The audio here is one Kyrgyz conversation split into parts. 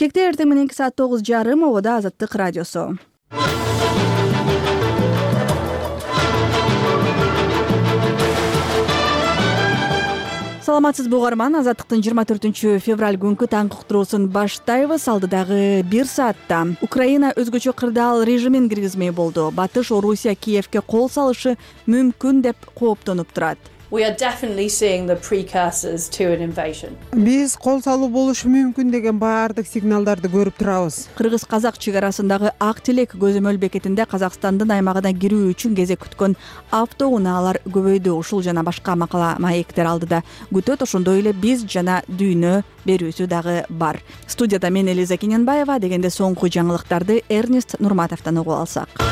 Кекте эртең мененки саат 9:30 обода Азаттык радиосу. Саламатсызбы угарман, Азаттыктын 24-февраль күнкү таңкы уктуруусун баштайбыз. Алдыдагы 1 саатта Украина өзгөчө кырдаал режимин киргизмей болду. Батыш Орусия Киевке кол салышы мүмкүн деп кооптонуп турат. We are definitely seeing the precursors to an invasion. Биз кол салуу болушу мүмкүн деген баардык сигналдарды көрүп турабыз. Кыргыз-казак чек арасындагы Ак Тилек көзөмөл бекетинде Казакстандын аймагына кирүү үчүн кезек күткөн автоунаалар көбөйдү. Ушул жана башка макала маектер алдыда күтөт. Ошондой эле биз жана дүйнө берүүсү дагы бар. Студияда мен Элиза Кененбаева. Дегенде соңку жаңылыктарды Эрнест Нурматовдон угуп алсак.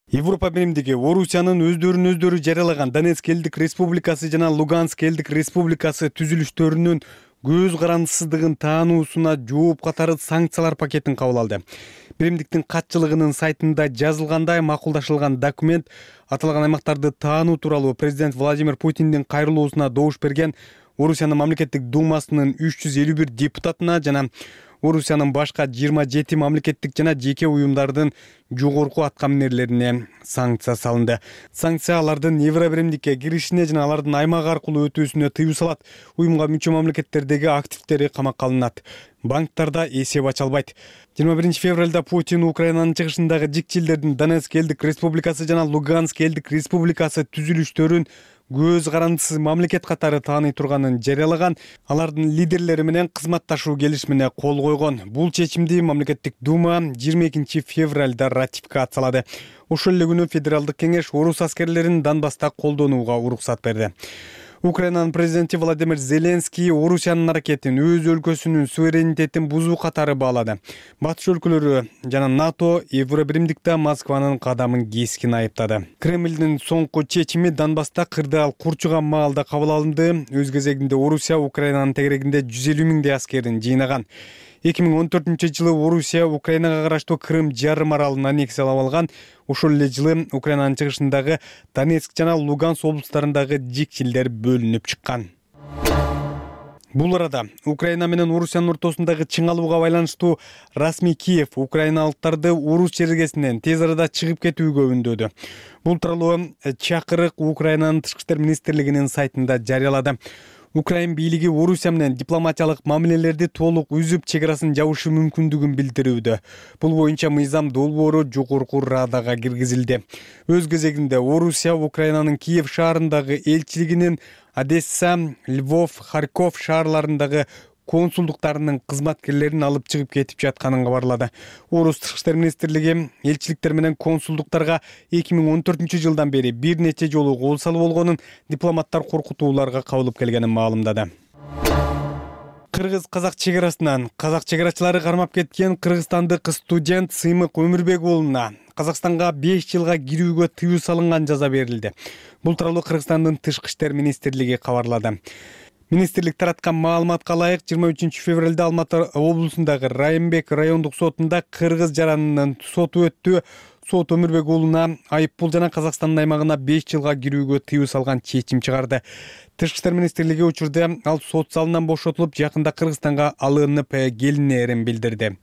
Европа биримдиги Орусиянын өздөрүн жарыялаган Донецк элдик республикасы жана Луганск элдик республикасы түзүлүштөрүнүн көз карандысыздыгын таануусуна жооп катары санкциялар пакетин кабыл алды. Биримдиктин катчылыгынын сайтында жазылгандай, макулдашылган документ аталган аймактарды таануу тууралуу президент Владимир Путиндин кайрылуусуна добуш берген Орусиянын мамлекеттик думасынын 351 депутатына жана Орусиянын башка 27 мамлекеттик жана жеке уюмдардын жогорку аткаминерлерине санкция салынды. Санкция алардын Евро биримдикке киришине жана алардын аймак аркылуу өтүүсүнө тыюу салат. Уюмга мүчө мамлекеттердеги активдери камакка алынат. Банктарда эсеп ача албайт. 21 февралда Путин Украинанын чыгышындагы жикчилдердин Донецк элдик республикасы жана Луганск элдик республикасы түзүлүштөрүн көз карандысыз мамлекет катары тааный турганын жарыялаган, алардын лидерлери менен кызматташуу келишимине кол койгон. Бул чечимди мамлекеттик дума 22 февралда ратификациялады. Ошол эле күнү Федералдык кеңеш орус аскерлерин Донбасста колдонууга уруксат берди. Украинанын президенти Владимир Зеленский Орусиянын аракетин өз өлкөсүнүн суверенитетин бузуу катары баалады. Батыш өлкөлөрү жана НАТО Евро биримдикте Москванын кадамын кескин айыптады. Кремлдин соңку чечими Донбасста кырдаал курчуган маалда кабыл алынды. Өз кезегинде Орусия Украинанын тегерегинде 150 миңдей аскерин жыйнаган. 2014-жылы Орусия Украинага караштуу Крым жарым аралын аннексиялап алган. Ошол эле жылы Украинанын чыгышындагы Донецк жана Луганск облустарындагы жикчилдер бөлүнүп чыккан. Бул арада Украина менен Орусиянын ортосундагы чыңалууга байланыштуу расмий Киев украиналыктарды Орус чергесинен тез арада чыгып кетүүгө үндөдү. Бул тууралуу чакырык Украинанын тышкы иштер министрлигинин сайтында жарыялады. Украин бийлиги Орусия менен дипломатиялык мамилелерди толук үзүп, чек арасын жабышы мүмкүндүгүн билдирүүдө. Бул боюнча мыйзам долбоору жогорку радага киргизилди. Өз кезегинде Орусия Украинанын Киев шаарындагы элчилигинин Одесса, Львов, Харьков шаарларындагы консулдуктарынын кызматкерлерин алып чыгып кетип жатканын кабарлады. Орус тышкы иштер министрлиги элчиликтер менен консулдуктарга 2014-жылдан бери бир нече жолу кол салуу болгонун, дипломаттар коркутууларга кабылып келгенин маалымдады. Кыргыз-казак чек арасынан казак чек арачылары кармап кеткен кыргызстандык студент Сыймык Өмүрбек уулуна Казакстанга 5 жылга кирүүгө тыюу салынган жаза берилди. Бул тууралуу Кыргызстандын тышкы иштер министрлиги кабарлады. Министрлик тараткан маалыматка ылайык 23 февралда Алматы облусундагы Райымбек райондук сотунда кыргыз жаранынын соту өттү. Сот Өмүрбек уулуна айыппул жана Казакстандын аймагына 5 жылга кирүүгө тыюу салган чечим чыгарды. Тышкы иштер министрлиги учурда ал сот залынан бошотулуп, жакында Кыргызстанга алынып келинээрин билдирди.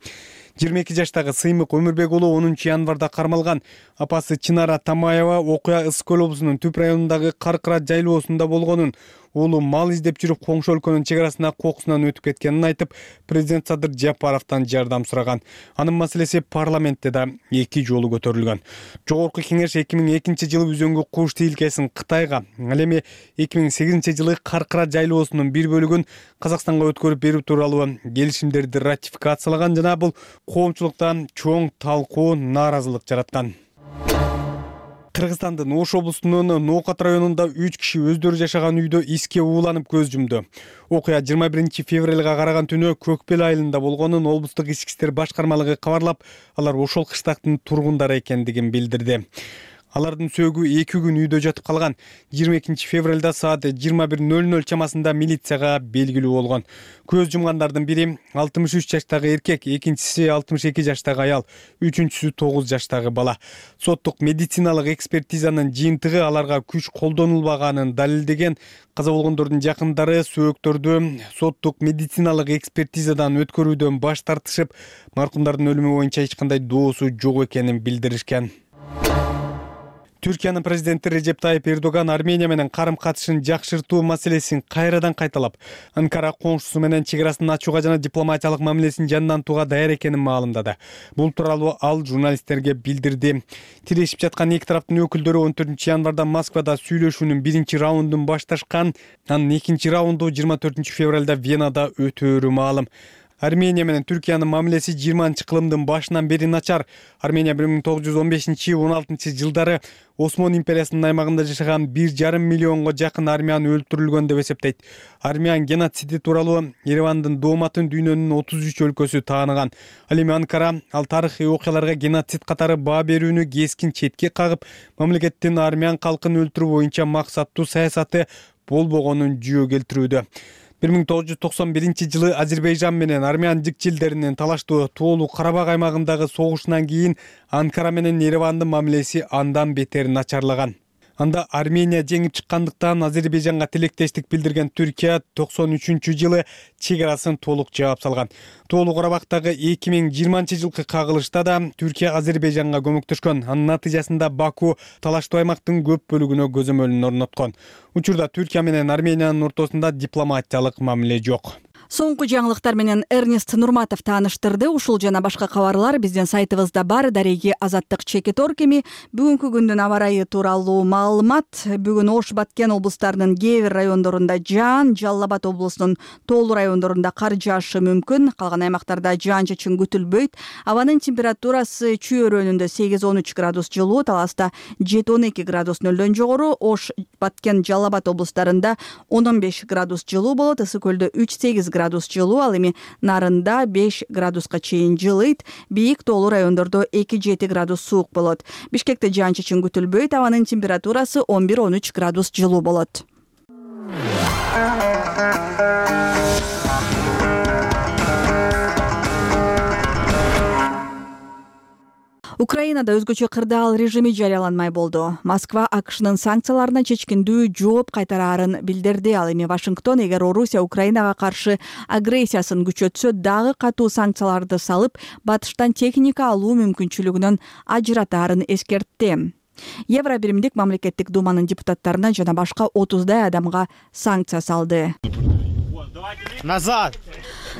22 жаштагы Сыймык Өмүрбек уулу 10 январда кармалган. Апасы Чынара Тамаева окуя Ысык көл облусунун Түп районундагы Каркыра жайлоосунда болгонун, уулу мал издеп жүрүп коңшу өлкөнүн чек арасына кокусунан өтүп кеткенин айтып, президент Садыр Жапаровдон жардам сураган. Анын маселеси парламентте да 2 жолу көтөрүлгөн. Жогорку кеңеш 2002-жылы үзөңгү куш тилкесин Кытайга, ал эми 2008-жылы Каркыра жайлоосунун бир бөлүгүн Казакстанга өткөрүп берүү тууралуу келишимдерди ратификациялаган жана бул коомчулукта чоң талкуу, нааразылык жараткан. Кыргызстандын Ош облусунун Ноокат районунда 3 киши өздөрү жашаган үйдө иске ууланып көз жумду. Окуя 21 февралга караган түнү Көкбел айылында болгонун облустук ички иштер башкармалыгы кабарлап, алар ошол кыштактын тургундары экендигин билдирди. Алардын сөөгү 2 күн үйдө жатып калган. 22 февралда саат 21:00 чамасында милицияга белгилүү болгон. Көз жумгандардын бири 63 жаштагы эркек, экинчиси 62 жаштагы аял, үчүнчүсү 9 жаштагы бала. Соттук медициналык экспертизанын жыйынтыгы аларга күч колдонулбаганын далилдеген. Каза болгондордун жакындары сөөктөрдү соттук медициналык экспертизадан өткөрүүдөн баш тартышып, маркумдардын өлүмү боюнча эч кандай доосу жок экенин билдиришкен. Түркиянын президенти Режеп Тайип Эрдоган Армения менен карым-катышын жакшыртуу маселесин кайрадан кайталап, Анкара коңшусу менен чек арасын ачууга жана дипломатиялык мамилесин жандантууга даяр экенин маалымдады. Бул тууралуу ал журналисттерге билдирди. Тирешип жаткан эки тараптын өкүлдөрү 14 январда Москвада сүйлөшүүнүн биринчи раундун башташкан, анын экинчи раунду 24 февралда Венада өтөөрү маалым. Армения менен Түркиянын мамилеси 20-кылымдын башынан бери начар. Армения 1915-16 жылдары Осман империясынын аймагында жашаган 1,5 миллионго жакын армян өлтүрүлгөн деп эсептейт. Армян геноциди тууралуу Еревандын дооматын дүйнөнүн 33 өлкөсү тааныган. Ал эми Анкара ал тарыхый окуяларга геноцид катары баа берүүнү кескин четке кагып, мамлекеттин армян калкын өлтүрүү боюнча максаттуу саясаты болбогонун жүйө келтирүүдө. 1991 жылы Азербайжан менен армян жикчилдеринин талаштуу Тоолу Карабак аймагындагы согушунан кийин Анкара менен Еревандын мамилеси андан бетер начарлаган. Анда Армения жеңип чыккандыктан Азербайжанга тилектештик билдирген Түркия 93 жылы чек арасын толук жаап салган. Тоолу Карабактагы 2020 жылкы кагылышта да Түркия Азербайжанга көмөктөшкөн. Анын натыйжасында Баку талаштуу аймактын көп бөлүгүнө көзөмөлүн орноткон. Учурда Түркия менен Армениянын ортосунда дипломатиялык мамиле жок. Соңку жаңылыктар менен Эрнест Нурматов тааныштырды. Ушул жана башка кабарлар биздин сайтыбызда бар. Дареги Азаттык Чекитор кеми бүгүнкү күндүн аба ырайы тууралуу маалымат. Бүгүн Ош, Баткен облустарынын кээ бир райондорунда жаан, Жалал Абад облусунун Тоолу райондорунда кар жаашы мүмкүн. Калган аймактарда жаан-чачын күтүлбөйт. Абанын температурасы чүйөрөнүндө 8-13 градус жылуу, Таласта 7-12 градус нөлдөн жогору, Ош, Баткен, Жалал Абад облустарында 10-15 градус жылуу болот. Ысык көлдө 3-8 градус жылуу, ал эми Нарында 5 градуска чейин жылыйт. Бийик Тоолу райондордо 2-7 градус суук болот. Бишкекте жаан-чачын күтүлбөйт. Абанын температурасы 11-13 градус жылуу болот. Украинада өзгөчө кырдаал режими жарыяланмай болду. Москва АКШнын санкцияларына чечкиндүү жооп кайтараарын билдирди. Ал эми Вашингтон эгер Орусия Украинага каршы агрессиясын күчөтсө, дагы катуу санкцияларды салып, батыштан техника алуу мүмкүнчүлүгүнөн ажыратаарын эскертти. Евробиримдик мамлекеттик думанын депутаттарына жана башка 30дай адамга санкция салды. Назад!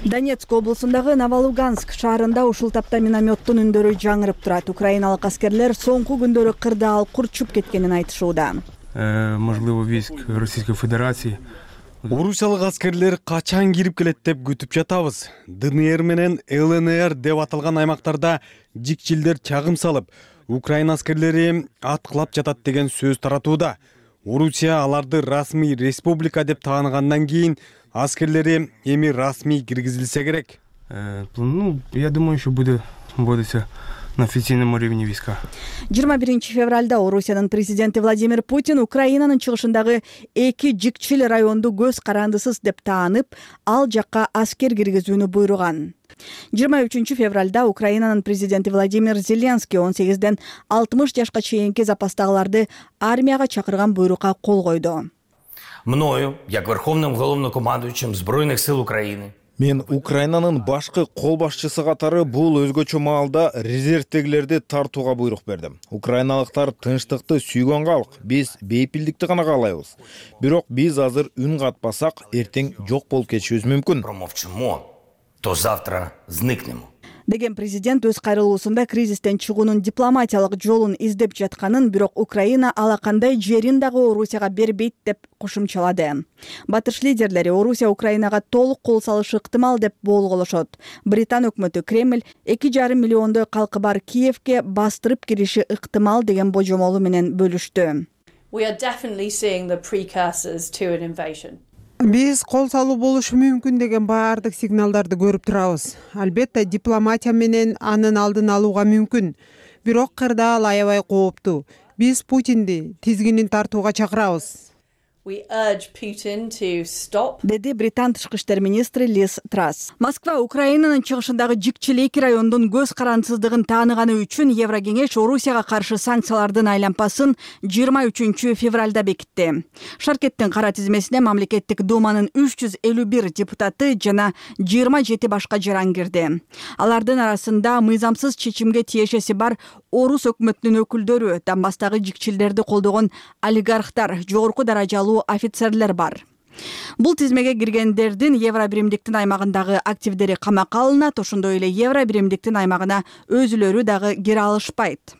Донецк облусундагы Новолуганск шаарында ушул тапта минометтун үндөрү жаңырып турат. Украиналык аскерлер соңку күндөрү кырдаал курчуп кеткенин айтышууда. Можливо, войск Российской Федерации. Орусиялык аскерлер качан кирип келет деп күтүп жатабыз. ДНР менен ЛНР деп аталган аймактарда жикчилдер чагым салып, Украина аскерлери аткылап жатат деген сөз таратууда. Орусия аларды расмий республика деп тааныгандан кийин аскерлери эми расмий киргизилсе керек. Я думаю, еще будет на официальном уровне войска. 21 февралда Орусиянын президенти Владимир Путин Украинанын чыгышындагы 2 жикчил районду көз карандысыз деп таанып, ал жакка аскер киргизүүнү буйруган. 23 февралда Украинанын президенти Владимир Зеленский 18ден 60 жашка чейинки запастагыларды армияга чакырган буйрукка кол койду. Мною, як верховным головнокомандуючим Збройных сил України, мен Украинанын башкы кол башчысы катары бул өзгөчө маалда резервтегилерди тартууга буйрук бердим. Украиналыктар тынчтыкты сүйгөн калк, биз бейпилдикти гана каалайбыз. Бирок биз азыр үн катпасак, эртең жок болуп кетишибиз мүмкүн. промовчимо, то завтра зникнемо. Деген президент өз кайрылуусунда кризистен чыгуунун дипломатиялык жолун издеп жатканын, бирок Украина алакандай жерин дагы Орусияга бербейт деп кошумчалады. Батыш лидерлери Орусия Украинага толук кол салышы ыктымал деп болголошот. Британ өкмөтү Кремль 2,5 миллиондой калкы бар Киевке бастырып кириши ыктымал деген божомолу менен бөлүштү. We are definitely seeing the precursors to an invasion. Биз кол салуу болушу мүмкүн деген баардык сигналдарды көрүп турабыз. Албетте дипломатия менен анын алдын алууга мүмкүн. Бирок кырдаал аябай кооптуу. Биз Путинди тизгинин тартууга чакырабыз. We urge Putin to stop деди Британ тышкы иштер министри Лиз Трасс. Москва Украинанын чыгышындагы Жикчилейки районунун көз карандысыздыгын тааныганы үчүн Еврокеңеш Орусияга каршы санкциялардын айлампасын 23 февралда бекитти. Шаркеттин кара тизмесине мамлекеттик думанын 351 депутаты жана 27 башка жаран кирди. Алардын арасында мыйзамсыз чечимге тиешеси бар Орус өкмөтүнүн өкүлдөрү, Донбасстагы жикчилдерди колдогон олигархтар, жогорку даражалуу офицерлер бар. Бул тизмеге киргендердин Евробиримдиктин аймагындагы активдери камакка алынат, ошондой эле Евробиримдиктин аймагына өзүлөрү дагы кире алышпайт.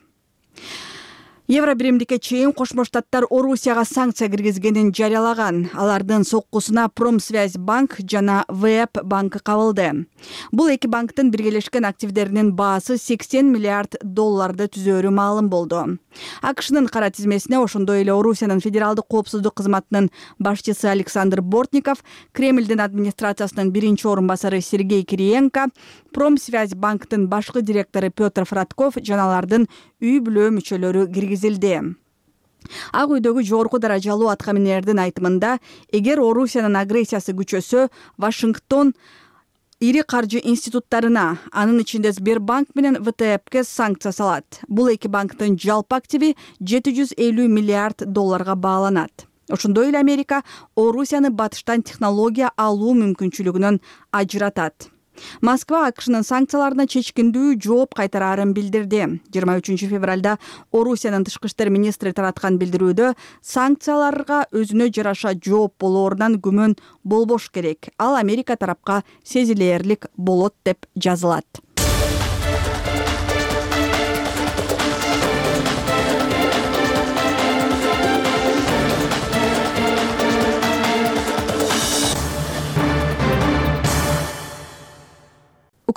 Евробиримдикке чейин Кошмо Штаттар Орусияга санкция киргизгенин жарыялаган. Алардын соккусуна Промсвязь банк жана ВЭП банкы кабылды. Бул эки банктын биргелешкен активдеринин баасы 80 миллиард долларды түзөөрү маалым болду. АКШнын кара тизмесине ошондой эле Орусиянын федералдык коопсуздук кызматынын башчысы Александр Бортников, Кремлдин администрациясынын биринчи орун басары Сергей Кириенко, Промсвязь банктын башкы директору Петр Фратков жана алардын үй бүлө мүчөлөрү киргизилди. Ак үйдөгү жогорку даражалуу аткаминердин айтымында, эгер Орусиянын агрессиясы күчөсө, Вашингтон ири каржы институттарына, анын ичинде Сбербанк менен ВТБке санкция салат. Бул эки банктын жалпы активи 750 миллиард долларга бааланат. Ошондой эле Америка Орусияны батыштан технология алуу мүмкүнчүлүгүнөн ажыратат. Москва АКШнын санкцияларына чечкиндүү жооп кайтараарын билдирди. 23 февралда Орусиянын тышкы иштер министри тараткан билдирүүдө санкцияларга өзүнө жараша жооп болоорунан күмөн болбош керек. Ал Америка тарапка сезилээрлик болот деп жазылат.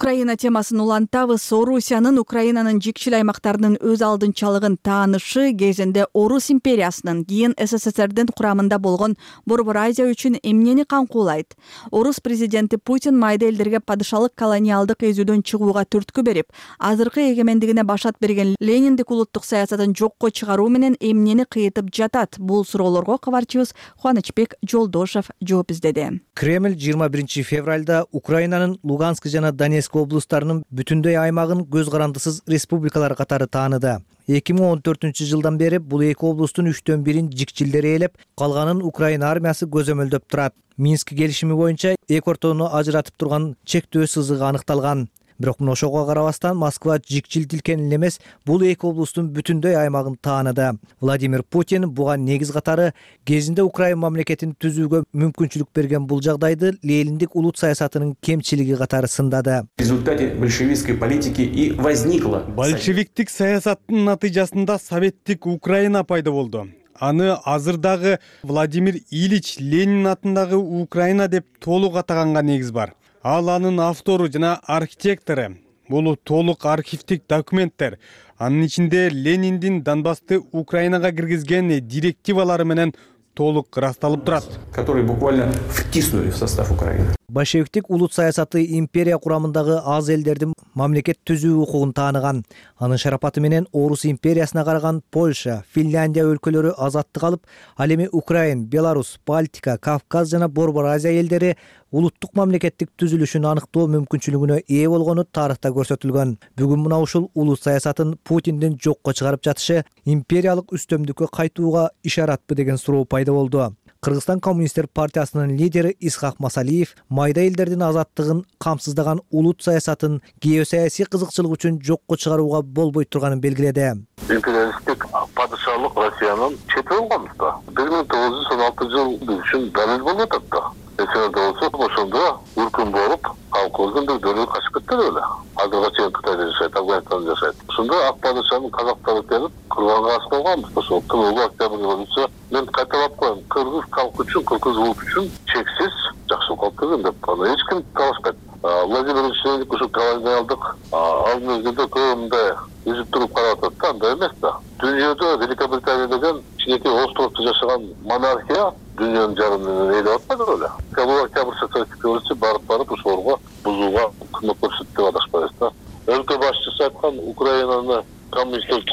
Украина темасын улантабыз. Орусиянын Украинанын жикчил аймактарынын өз алдынчалыгын таанышы кезинде Орус империясынын, кийин СССРдин курамында болгон Борбор Азия үчүн эмнени камкуулайт? Орус президенти Путин майда элдерге падышалык колониалдык эзүүдөн чыгууга түрткү берип, азыркы эгемендигине башат берген Лениндик улуттук саясатын жокко чыгаруу менен эмнени кыйтып жатат? Бул суроолорго кабарчыбыз Кубанычбек Жолдошев жооп издеди. Кремль 21 февралда Украинанын Луганск жана Донецк облустарынын бүтүндөй аймагын көз карандысыз республикалар катары тааныды. 2014 жылдан бери бул эки облустун 3/1 жикчилдери ээлеп, калганын Украина армиясы көзөмөлдөп турат. Минск келишими боюнча эки ортону ажыратып турган чектөө сызыгы аныкталган. Бирок ошого карабастан Москва жикчил тилкенин эмес, бул эки облустун бүтүндөй аймагын тааныды. Владимир Путин буга негиз катары кезинде Украина мамлекетин түзүүгө мүмкүнчүлүк берген бул жагдайды Лениндик улут саясатынын кемчилиги катары сындады. В результате большевистской политики и возникла. Большевиктик саясаттын натыйжасында советтик Украина пайда болду. Аны азырдагы Владимир Ильич Ленин атындагы Украина деп толук атаганга негиз бар. Ал анын автору жана архитектору. Бул толук архивдик документтер. Анын ичинде Лениндин Донбассты Украинага киргизген директивалары менен толук ырасталып турат, которые буквально втиснули в состав Украины. Большевиктик улут саясаты империя курамындагы аз элдердин мамлекет түзүү укугун тааныган. Анын шарапаты менен Орус империясына караган Польша, Финляндия өлкөлөрү азаттык алып, ал эми Украина, Беларусь, Балтика, Кавказ жана Борбор Азия элдери улуттук мамлекеттик түзүлүшүн аныктоо мүмкүнчүлүгүнө ээ болгону тарыхта көрсөтүлгөн. Бүгүн мына ушул улут саясатын Путиндин жокко чыгарып жатышы империялык үстөмдүккө кайтууга ишаратпы деген суроо пайда болду. Кыргызстан коммунисттер партиясынын лидери Исхак Масалиев майда элдердин азаттыгын камсыздаган улут саясатын геосаясий кызыкчылык үчүн жокко чыгарууга болбой турганын белгиледи. Империалисттик падышалык Россиянын чети болгонбуз да. 1916 жыл үчүн далил болуп атат да. Эсиңерде болсо, ошондо үркүн болуп, калкыбыздын бир бөлүгү качып кетти эле. Азыркыга чейин Кытайда жашайт, Афганистанда жашайт. Ошондо ак падышанын казактары келип, курганга ас болгонбуз. Ошол тылуу октябрь революция. Мен кайталап коем, кыргыз калкы үчүн, кыргыз улут үчүн чексиз жакшылык кылып келген деп. Аны эч ким талашпайт. Владимир Ильич ушул колониалдык ал мезгилде көбүндөй үзүп туруп карап атат да, андай эмес да. Дүйнөдө Великобритания деген кичинекей островдо жашаган монархия дүйнөнүн жарымын ээлеп атпайдыр эле. Бул октябрь социалистик революция барып ошолорго бузууга кызмат көрсөттү деп адашпайбыз да. Өлкө башчысы айткан Украинаны коммунисттер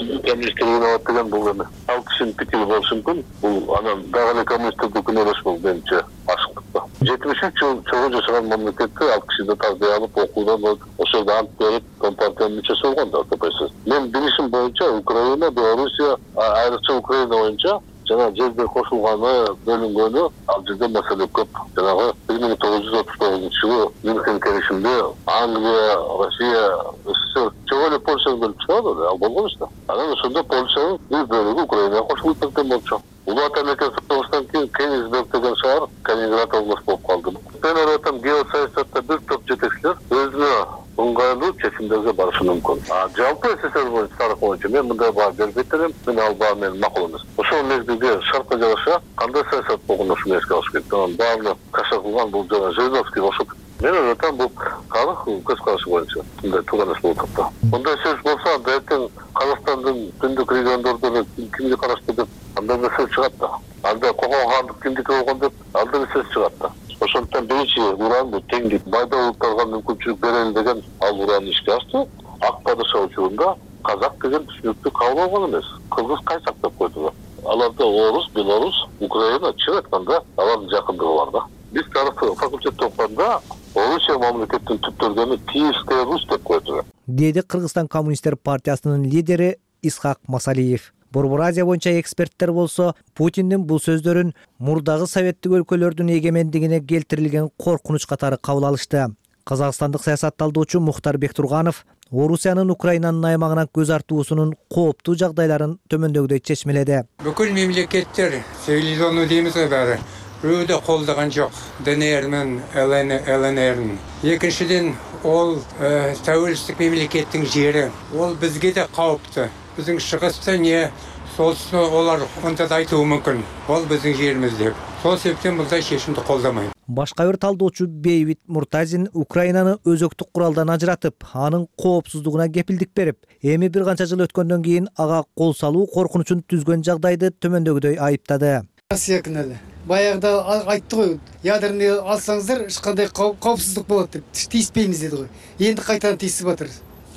жиналат деген бул эме. Ал кишинин пикири болушу мүмкүн. Бул анан дагы эле коммунисттердин күнөө эмес бул менимче ашыктыкта. 73 жыл чогуу жашаган мамлекетте ал киши да тарбия алып, окуудан ошол жерде ант берип, компартиянын мүчөсү болгон да КПСС. Мен билишим боюнча Украина, Белоруссия, айрыкча Украина боюнча жана жерге кошулганы, бөлүнгөнү ал жерде маселе көп. Жанагы 1939 жылы Мюнхен келишимде Англия, Россия, СССР чогуу эле Польшаны бөлүп чыгарды, ал болгон эч да. Анан ошондо Польшанын бир бөлүгү Украинага кошулуп кеткен болчу. Улуу ата мекен согуштан кийин Кенигсберг деген шаар Калининград областы болуп калды. Мен ойлойм, геосаясатта бир топ жетекчилер өзүнө ыңгайлуу чечимдерге барышы мүмкүн. Жалпы СССР боюнча тарых боюнча мен мындай баа бербейт элем. Мен ал баа менин макул эмес. Ошол мезгилде шартка жараша кандай саясат болгонун ушуну эске алыш керек. Анан баарын каша кылган бул жана Жириновский ошол. Мен ойлойм, бул тарых көз карашы боюнча мындай тууган эс болуп атат. Мындай сөз болсо, анда эртең Казакстандын түндүк региондордон кимге караштуу деп андай бир сөз чыгат да. Анда Кокон хандык кимдики болгон деп андай бир сөз чыгат да. Ошондуктан биринчи уран бул теңдик, майда улуттарга мүмкүнчүлүк берели деген ал уранды ишке ашты. Ак падыша учурунда казак деген түшүнүктү кабыл алган эмес. Кыргыз кайсак деп койду. Аларда орус, белорус, Украина чын айтканда алардын жакындыгы бар да. Биз тарых факультетте окуганда Орусия мамлекеттин түптөлгөнү Киевская Русь деп койду. Деди Кыргызстан коммунисттер партиясынын лидери Исхак Масалиев. Борбор Азия боюнча эксперттер болсо Путиндин бул сөздөрүн мурдагы советтик өлкөлөрдүн эгемендигине келтирилген коркунуч катары кабыл алышты. Казакстандык саясатталдоочу Мухтар Бектурганов Орусиянын Украинанын аймагынан көз артуусунун кооптуу жагдайларын төмөндөгүдөй чечмеледи. Бүкүл мемлекеттер цивилизованный деймиз баары өйдө колдогон жок ДНР менен ЛНР. Экинчиден, ол тәуелсиздик мемлекеттин жери. Ол бизге да кооптуу. Биздин чыгышта не солтүстү олар онда айтуу мүмкүн. Ол биздин жерimiz деп. Сол себептен мындай чечимди колдомойм. Башка бир талдоочу Бейбит Муртазин Украинаны өзөктүк куралдан ажыратып, анын коопсуздугуна кепилдик берип, эми бир канча жыл өткөндөн кийин ага кол салуу коркунучун түзгөн жагдайды төмөндөгүдөй айыптады. Россия күнәлі. Баяғыда айтты ғой, ядерный алсаңыздар, ешқандай қауіпсіздік болады деп, тиіспейміз деді ғой. Енді қайтадан тиісіп жатыр.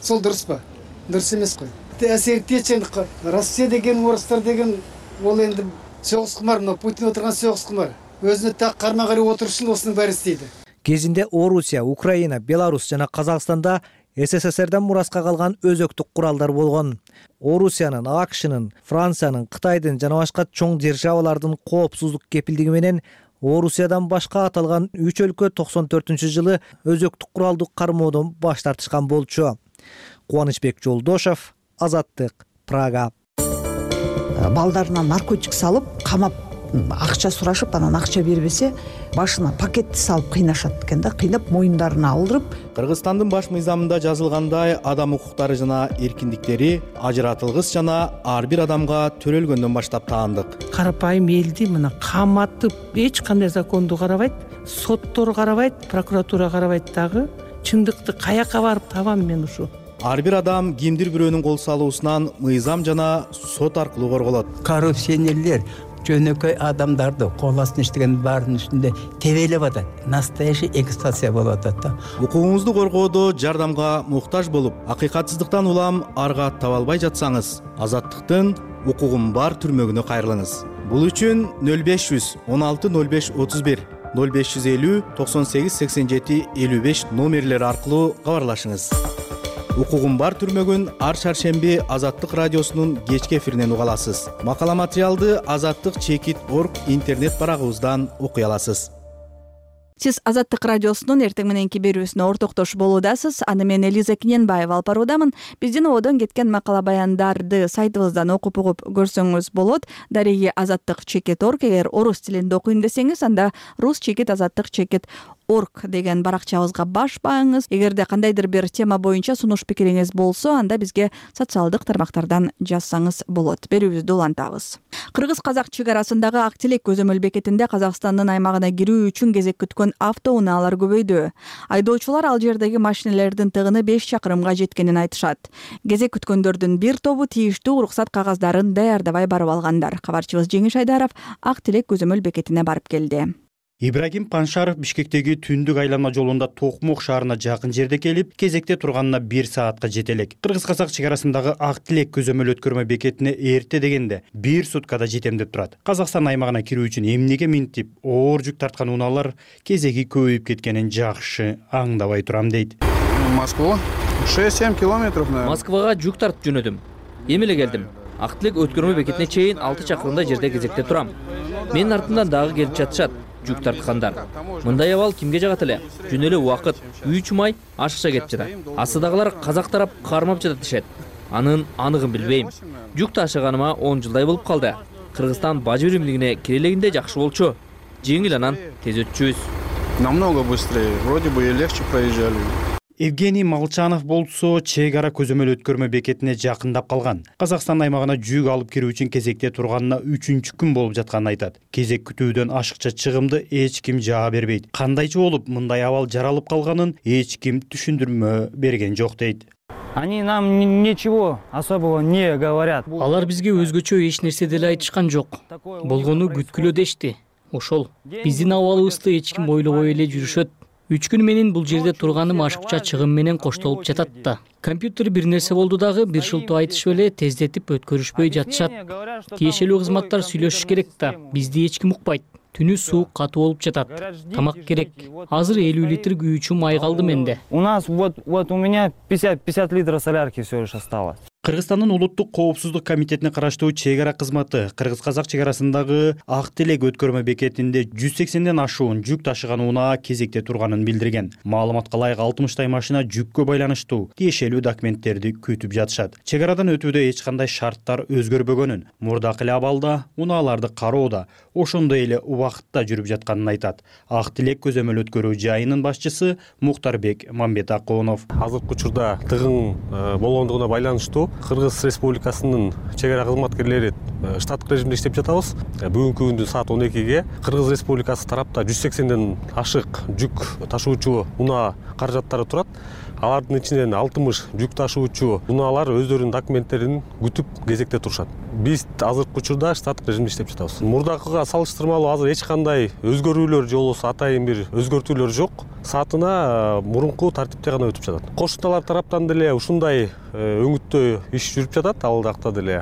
Сол дұрыс па? Дұрыс емес қой. Әсерді етшендік. Россия деген, орыстар деген, ол енді соғыс құмар, Путин отырған соғыс құмар. Өзіне тақ қарма-қари отырышын осының бәрі істейді. Кезинде Орусия, Украина, Беларусь жана Казакстанда СССРдан мураска калган өзөктүк куралдар болгон. Орусиянын, АКШнын, Франциянын, Кытайдын жана башка чоң державалардын коопсуздук кепилдиги менен Орусиядан башка аталган 3 өлкө 94-жылы өзөктүк куралдуу кармоодон баш тартышкан болчу. Кубанычбек Жолдошов, Азаттык, Прага. Балдарына наркотик салып, камап, акча сурашып, анан акча бербесе, башына пакетти салып кыйнашат экен да, кыйнап моюндарына алдырып. Кыргызстандын баш мыйзамында жазылгандай, адам укуктары жана эркиндиктери ажыратылгыс жана ар бир адамга төрөлгөндөн баштап таандык. Карапайым элди мына каматып, эч кандай законду карабайт, соттор карабайт, прокуратура карабайт дагы. Чындыкты каяка барып табам мен ушу? Ар бир адам кимдир бирөөнүн кол салуусунан мыйзам жана сот аркылуу корголот. Коррупционерлер жөнөкөй адамдарды кол астына иштеген баарынын үстүндө тебелеп атат. Настоящий эксплуатация болуп атат да. Укугуңузду коргоодо жардамга муктаж болуп, акыйкатсыздыктан улам арга таба албай жатсаңыз, Азаттыктын укугум бар түрмөгүнө кайрылыңыз. Бул үчүн 0500 16 05 31 0550 98 87 55 номерлери аркылуу кабарлашыңыз. Укугум бар түрмөгүн ар шаршемби Азаттык радиосунун кечки эфиринен уга аласыз. Макала материалды azаттык.org интернет барагыбыздан окуй аласыз. Сиз Азаттык радиосунун эртең мененки берүүсүнө ортоктош болуудасыз. Аны мен Элиза Киненбаева алып баруудамын. Биздин ободон кеткен макала баяндарды сайтыбыздан окуп угуп көрсөңүз болот. Дареги azаттык.org. Эгер орус тилинде окуйм десеңиз, анда rus-azаттык.org деген баракчабызга баш бааңыз. Эгерде кандайдыр бир тема боюнча сунуш пикириңиз болсо, анда бизге социалдык тармактардан жазсаңыз болот. Берүүбүздү улантабыз. Кыргыз-казак чек арасындагы Ак Телек көзөмөл бекетинде Казакстандын аймагына кирүү үчүн кезек күткөн автоунаалар көбөйдү. Айдоочулар ал жердеги машинелердин тыгыны 5 чакырымга жеткенин айтышат. Кезек күткөндөрдүн бир тобу тийиштүү уруксат кагаздарын даярдабай барып алгандар. Кабарчыбыз Жеңиш Айдаров Ак Телек көзөмөл бекетине барып келди. Ибрагим Паншаров Бишкектеги түндүк айланма жолунда Токмок шаарына жакын жерде келип, кезекте турганына 1 саатка жетелек. Кыргыз-казак чек арасындагы Ак Тилек көзөмөл өткөрмө бекетине эрте дегенде 1 суткада жетемдеп турат. Казакстан аймагына кирүү үчүн эмнеге минтип, оор жүк тарткан унаалар кезеги көбөйүп кеткенин жакшы аңдабай турам дейт. Москва 6-7 километров, наверное. Москвага жүк тартып жөнөдүм. Эми эле келдим. Ак Тилек өткөрмө бекетине чейин 6 чакырымдай жерде кезекте турам. Менин артымдан дагы келип жатышат жүк тарткандар. Мындай абал кимге жагат эле? Жөн эле убакыт 3 май ашыкча кетип жатат. Астыдагылар казак тарап кармап жатат дешет. Анын аныгын билбейм. Жүк ташыганыма 10 жылдай болуп калды. Кыргызстан бажы биримдигине кирелегинде жакшы болчу. Жеңил анан тез өтчүбүз. Намного быстрее. Вроде бы и легче проезжали. Евгений Молчанов болсо чек ара көзөмөл өткөрмө бекетине жакындап калган. Казакстан аймагына жүк алып кирүү үчүн кезекте турганына 3-күн болуп жатканын айтат. Кезек күтүүдөн ашыкча чыгымды эч ким жаа бербейт. Кандайча болуп мындай абал жаралып калганын эч ким түшүндүрмө берген жок дейт. Они нам ничего особого не говорят. Алар бизге өзгөчө эч нерсе деле айтышкан жок. Болгону күткүлө дешти. Ошол. Биздин абалыбызды эч ким ойлобой эле жүрүшөт. 3 күн менен бул жерде турганым ашыкча чыгым менен коштолуп жатат да. Компьютер бир нерсе болду дагы бир шылтоо айтышып эле тездетип өткөрүшпөй жатышат. Тиешелүү кызматтар сүйлөшүш керек да. Бизди эч ким укпайт. Түнү суу катуу болуп жатат. Тамак керек. Азыр 50 литр күйүүчү май калды менде. У нас вот у меня 50 литров солярки всё лишь осталось. Кыргызстандын улуттук коопсуздук комитетине караштуу чек ара кызматы кыргыз-казак чек арасындагы Ак Тилек өткөрмө бекетинде 180ден ашуун жүк ташыган унаа кезекте турганын билдирген. Маалыматка ылайык 60 машина жүккө байланыштуу тиешелүү документтерди күтүп жатышат. Чек арадан өтүүдө эч кандай шарттар өзгөрбөгөнүн, мурдакы эле абалда унааларды кароодо ошондой эле убакытта жүрүп жатканын айтат. Ак Тилек көзөмөл өткөрүү жайынын башчысы Мухтарбек Мамбетакунов. Азыркы учурда тыгын болгондугуна байланыштуу Кыргыз Республикасынын чек ара кызматкерлери штаттык режимде иштеп жатабыз. Бүгүнкү күндүн саат 12ге Кыргыз Республикасы тарапта 180ден ашык жүк ташуучу унаа каражаттары турат. Алардын ичинен 60 жүк ташуучу унаалар өздөрүнүн документтерин күтүп кезекте турушат. Биз азыркы учурда штаттык режимде иштеп жатабыз. Мурдакыга салыштырмалуу азыр эч кандай өзгөрүүлөр же болбосо атайын бир өзгөртүүлөр жок. Саатына мурунку тартипте гана өтүп жатат. Кошуналар тараптан деле ушундай өңүттө иш жүрүп жатат, ал жакта деле.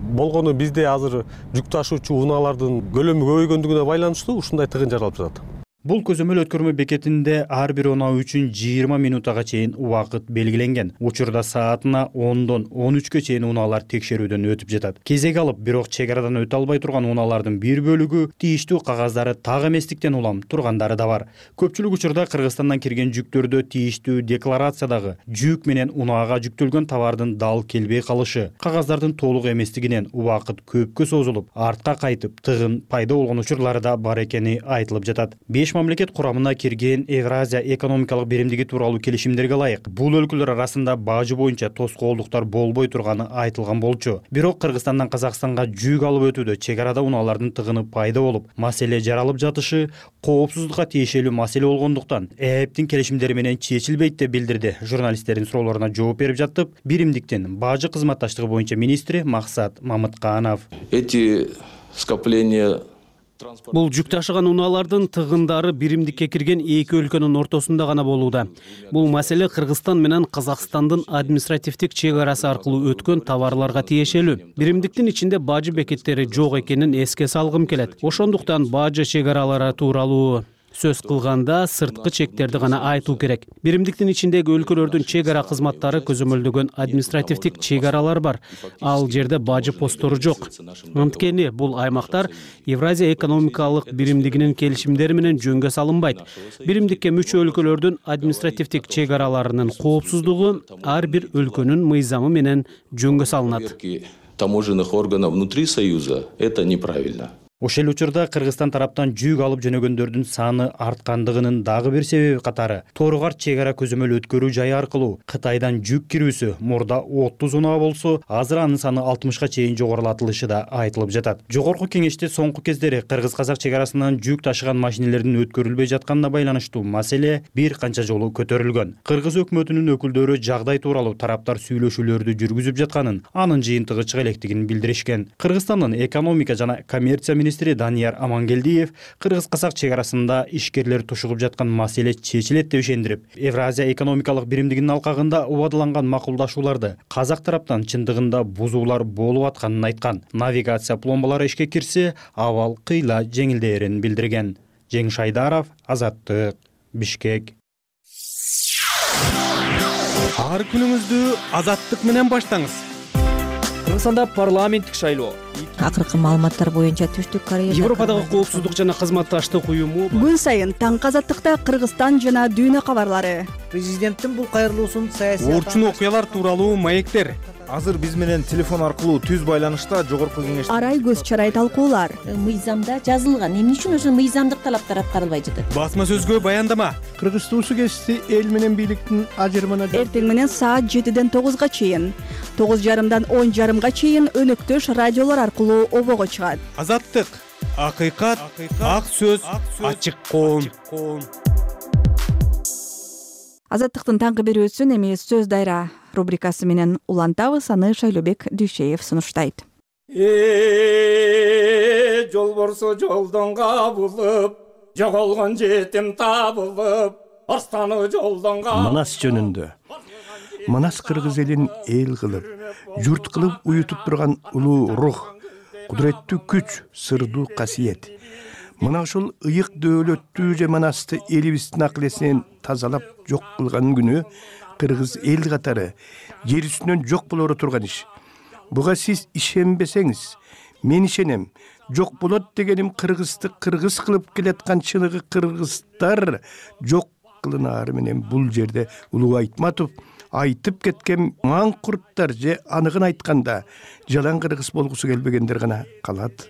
Болгону бизде азыр жүк ташуучу унаалардын көлөмү көбөйгөндүгүнө байланыштуу ушундай тыгын жаралып жатат. Бул көзөмөл өткөрмө бекетинде ар бир унаа үчүн 20 минутага чейин убакыт белгиленген. Учурда саатына 10дон 13кө чейин унаалар текшерүүдөн өтүп жатат. Кезек алып, бирок чек арадан өтө албай турган унаалардын бир бөлүгү тийиштүү кагаздары так эместиктен улам тургандары да бар. Көпчүлүк учурда Кыргызстандан кирген жүктөрдө тийиштүү декларациядагы жүк менен унаага жүктөлгөн товардын дал келбей калышы, кагаздардын толук эместигинен убакыт көпкө созулуп, артка кайтып, тыгын пайда болгон учурлары да бар экени айтылып жатат. 5 мамлекет курамына кирген Евразия экономикалык биримдиги тууралуу келишимдерге ылайык бул өлкөлөр арасында бажы боюнча тоскоолдуктар болбой турганы айтылган болчу. Бирок Кыргызстандан Казакстанга жүк алып өтүүдө чек арада унаалардын тыгыны пайда болуп, маселе жаралып жатышы коопсуздукка тиешелүү маселе болгондуктан ЭЭПтин келишимдери менен чечилбейт деп билдирди. Журналисттердин суроолоруна жооп берип жатып, биримдиктин бажы кызматташтыгы боюнча министри Максат Мамытканов. Эти скопления Бул жүк ташыган унаалардын тыгындары биримдикке кирген эки өлкөнүн ортосунда гана болууда. Бул маселе Кыргызстан менен Казакстандын административдик чек арасы аркылуу өткөн товарларга тиешелүү. Биримдиктин ичинде бажы бекеттери жок экенин эске салгым келет. Ошондуктан бажы чек аралары тууралуу сөз кылганда сырткы чектерди гана айтуу керек. Биримдиктин ичиндеги өлкөлөрдүн чек ара кызматтары көзөмөлдөгөн административдик чек аралар бар. Ал жерде бажы посттору жок. Анткени бул аймактар Евразия экономикалык биримдигинин келишимдери менен жөнгө салынбайт. Биримдикке мүчө өлкөлөрдүн административдик чек араларынын коопсуздугу ар бир өлкөнүн мыйзамы менен жөнгө салынат. Таможенных органов внутри Союза это неправильно. Ошол учурда Кыргызстан тараптан жүк алып жөнөгөндөрдүн саны арткандыгынын дагы бир себеби катары Торгар чек ара көзөмөл өткөрүү жайы аркылуу Кытайдан жүк кирүүсү мурда 30 унаа болсо, азыр анын саны 60га чейин жогорулатылышы да айтылып жатат. Жогорку кеңеште соңку кездери Кыргыз-казак чек арасынан жүк ташыган машинелердин өткөрүлбөй жатканына байланыштуу маселе бир канча жолу көтөрүлгөн. Кыргыз өкмөтүнүн өкүлдөрү жагдай тууралуу тараптар сүйлөшүүлөрдү жүргүзүп жатканын, анын жыйынтыгы чыга электигин билдиришкен. Кыргызстандын экономика жана коммерция министри Данияр Амангелдиев кыргыз казак чек арасында ишкерлер тушугуп жаткан маселе чечилет деп ишендирип, Евразия экономикалык биримдигинин алкагында убадыланган макулдашууларды казак тараптан чындыгында бузуулар болуп атканын айткан. Навигация пломбалары ишке кирсе, абал кыйла жеңилдээрин билдирген. Жеңиш Айдаров, Азаттык, Бишкек. Ар күнүңүздү Азаттык менен баштаңыз. Кыргызстанда парламенттик шайлоо. Акыркы маалыматтар боюнча Түштүк Кореяда Европадагы коопсуздук жана кызматташтык уюму күн сайын таңкы Азаттыкта Кыргызстан жана дүйнө кабарлары. Президенттин бул кайрылуусун саясий Орчун окуялар тууралуу маектер. Азыр биз менен телефон аркылуу түз байланышта жогорку кеңеш Арай көз чарай талкуулар. Мыйзамда жазылган. Эмне үчүн ошо мыйзамдык талаптар аткарылбай жатат? Басма сөзгө баяндама. Кыргыз туусу кести эл менен бийликтин ажырымына Эртең менен саат 7-ден 9-га чейин, 9:30-дан 10:30-га чейин өнөктөш радиолор аркылуу обого чыгат. Азаттык, акыйкат, ак сөз, ачык коом. Азаттыктын таңкы берүүсүн эми сөз дайра рубрикасы менен улантабыз. Аны Шайлообек Дүйшеев сунуштайт. Жолборсо жолдон кабылып, жоголгон жетим табылып, арстаны жолдон Манас жөнүндө. Манас кыргыз элин эл кылып, журт кылып уютуп турган улуу рух, кудуреттүү күч, сырдуу касиет. Мына ушул ыйык дөөлөттүү же Манасты элибиздин акыл-эсинен тазалап жок кылган күнү кыргыз эл катары жер үстүнөн жок болору турган иш. Буга сиз ишенбесеңиз, мен ишенем. Жок болот дегеним кыргызды кыргыз кылып келаткан чыныгы кыргыздар жок кылынаары менен бул жерде Улуу Айтматов айтып кеткен маңкурттар же аныгын айтканда жалаң кыргыз болгусу келбегендер гана калат.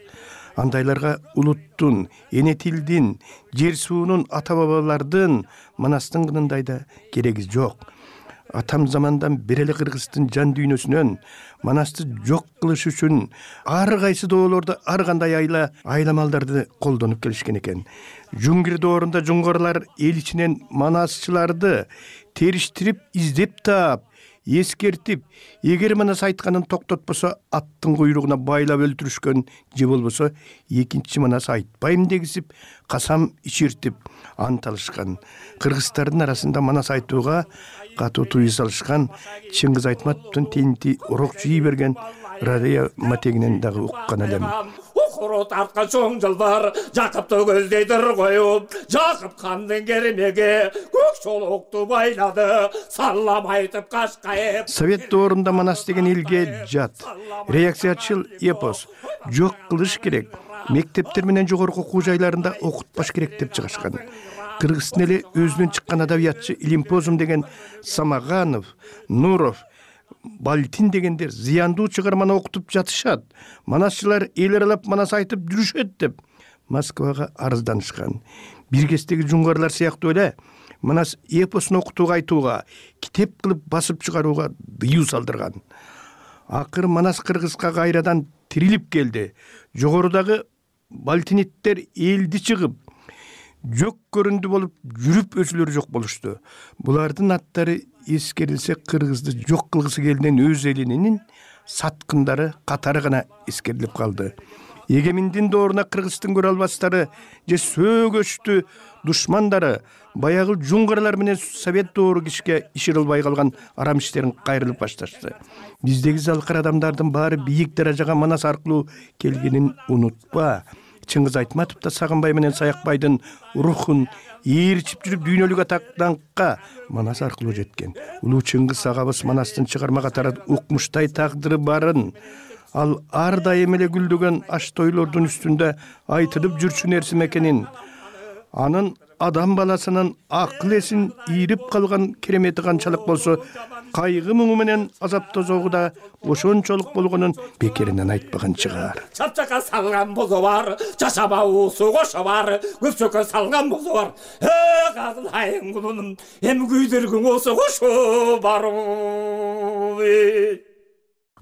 Андайларга улуттун, эне тилдин, жер суунун, ата бабалардын, Манастын кынындай да кереги жок. Атам замандан бери эле кыргыздын жан дүйнөсүнөн Манасты жок кылыш үчүн ар кайсы доолордо ар кандай айламалдарды колдонуп келишкен экен. Жуңгир доорунда жуңгарлар эл ичинен манасчыларды териштирип, издеп таап, эскертип, эгер Манас айтканын токтотпосо аттын куйругуна байлап өлтүрүшкөн же болбосо экинчи Манас айтпайм дегизип, касам ичиртип ант алышкан. Кыргыздардын арасында Манас айтууга катуу тыюу салышкан. Чыңгыз Айтматовдун тенти урок жий берген радио матегинен дагы уккан элем. Укуру тарткан чоң жылдар, Жакыпты көздейдир коюп, Жакып хандын кермеге көк чолокту байлады, саллам айтып кашкайып. Совет доорунда Манас деген элге жат, реакциячыл эпос, жок кылыш керек, мектептер менен жогорку окуу жайларында окутпаш керек деп чыгышкан. Кыргыздын эле өзүнөн чыккан адабиятчы Илимпозум деген Самаганов, Нуров, Балтин дегендер зыяндуу чыгарманы окутуп жатышат. Манасчылар эл аралап Манас айтып жүрүшөт деп Москвага арызданышкан. Биргестеги жуңгарлар сыяктуу эле Манас эпосун окутууга айтууга, китеп кылып басып чыгарууга дыюу салдырган. Акыр Манас кыргызга кайрадан тирилип келди. Жогорудагы балтиниттер элди чыгып, жок көрүндү болуп, жүрүп өзүлөрү жок болушту. Булардын аттары эскерилсе кыргызды жок кылгысы келген өз элинин саткындары катары гана эскерилип калды. Эгеминдин дооруна кыргыздын көрө албастары же сөөгөчтү душмандары баягы жуңгарлар менен совет доору кишке иширилбай калган арам иштерин кайрылып башташты. Биздеги залкар адамдардын баары бийик даражага Манас аркылуу келгенин унутпа. Чыңгыз Айтматов да Сагынбай менен Саякбайдын рухун ээрчип жүрүп дүйнөлүк атактанкка Манас аркылуу жеткен. Улуу Чыңгыз агабыз Манастын чыгарма катары укмуштай тагдыры барын, ал ар дайым эле гүлдөгөн аш тойлордун үстүндө айтылып жүрчү нерсе экенин, анын адам баласынын акыл-эсин ийрип калган керемети канчалык болсо, кайгы муңу менен азап тозогу да ошончолук болгонун бекеринен айтпаган чыгар. Чапчакка салган бозо бар, чачаба уусу кошо бар, көпчөккө салган бозо бар. Кадылайын кулунум, эми күйдүргүң болсо кошо бар.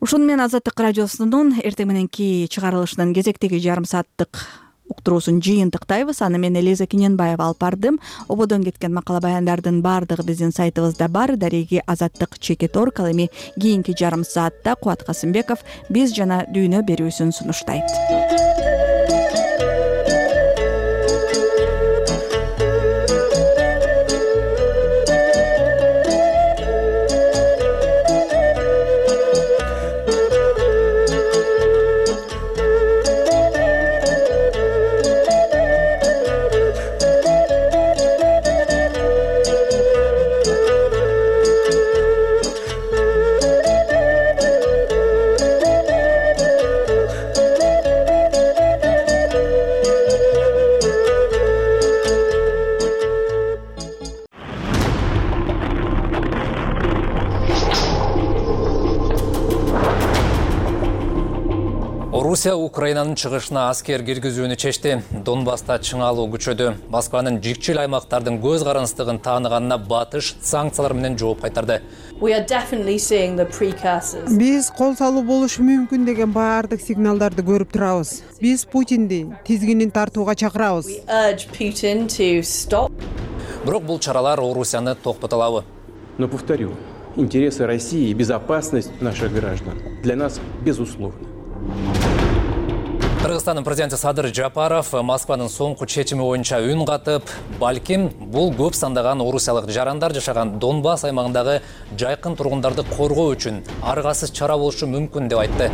Ушуну менен Азаттык радиосунун эртең мененки чыгарылышынын кезектеги жарым сааттык уктуруусун жыйынтыктайбыз. Аны мен Элиза Кененбаева алып бардым. Ободон кеткен макала баяндардын баардыгы биздин сайтыбызда бар. Дареги Азаттык.org. Ал эми кийинки жарым саатта Кубат Касымбеков биз жана дүйнө берүүсүн сунуштайт. Орусия Украинанын чыгышына аскер киргизүүнү чечти. Донбасста чыңалуу күчөдү. Москванын жикчил аймактардын көз карандыстыгын тааныганына батыш санкциялар менен жооп кайтарды. Биз кол салуу болушу мүмкүн деген баардык сигналдарды көрүп турабыз. Биз Путинди тизгинин тартууга чакырабыз. Бирок бул чаралар Орусияны токтото алабы? Но повторю, интересы России и безопасность наших граждан для нас безусловны. Кыргызстандын президенти Садыр Жапаров Москванын соңку чечими боюнча үн катып, балким бул көп сандаган орусиялык жарандар жашаган Донбасс аймагындагы жайкын тургундарды коргоо үчүн аргасыз чара болушу мүмкүн деп айтты.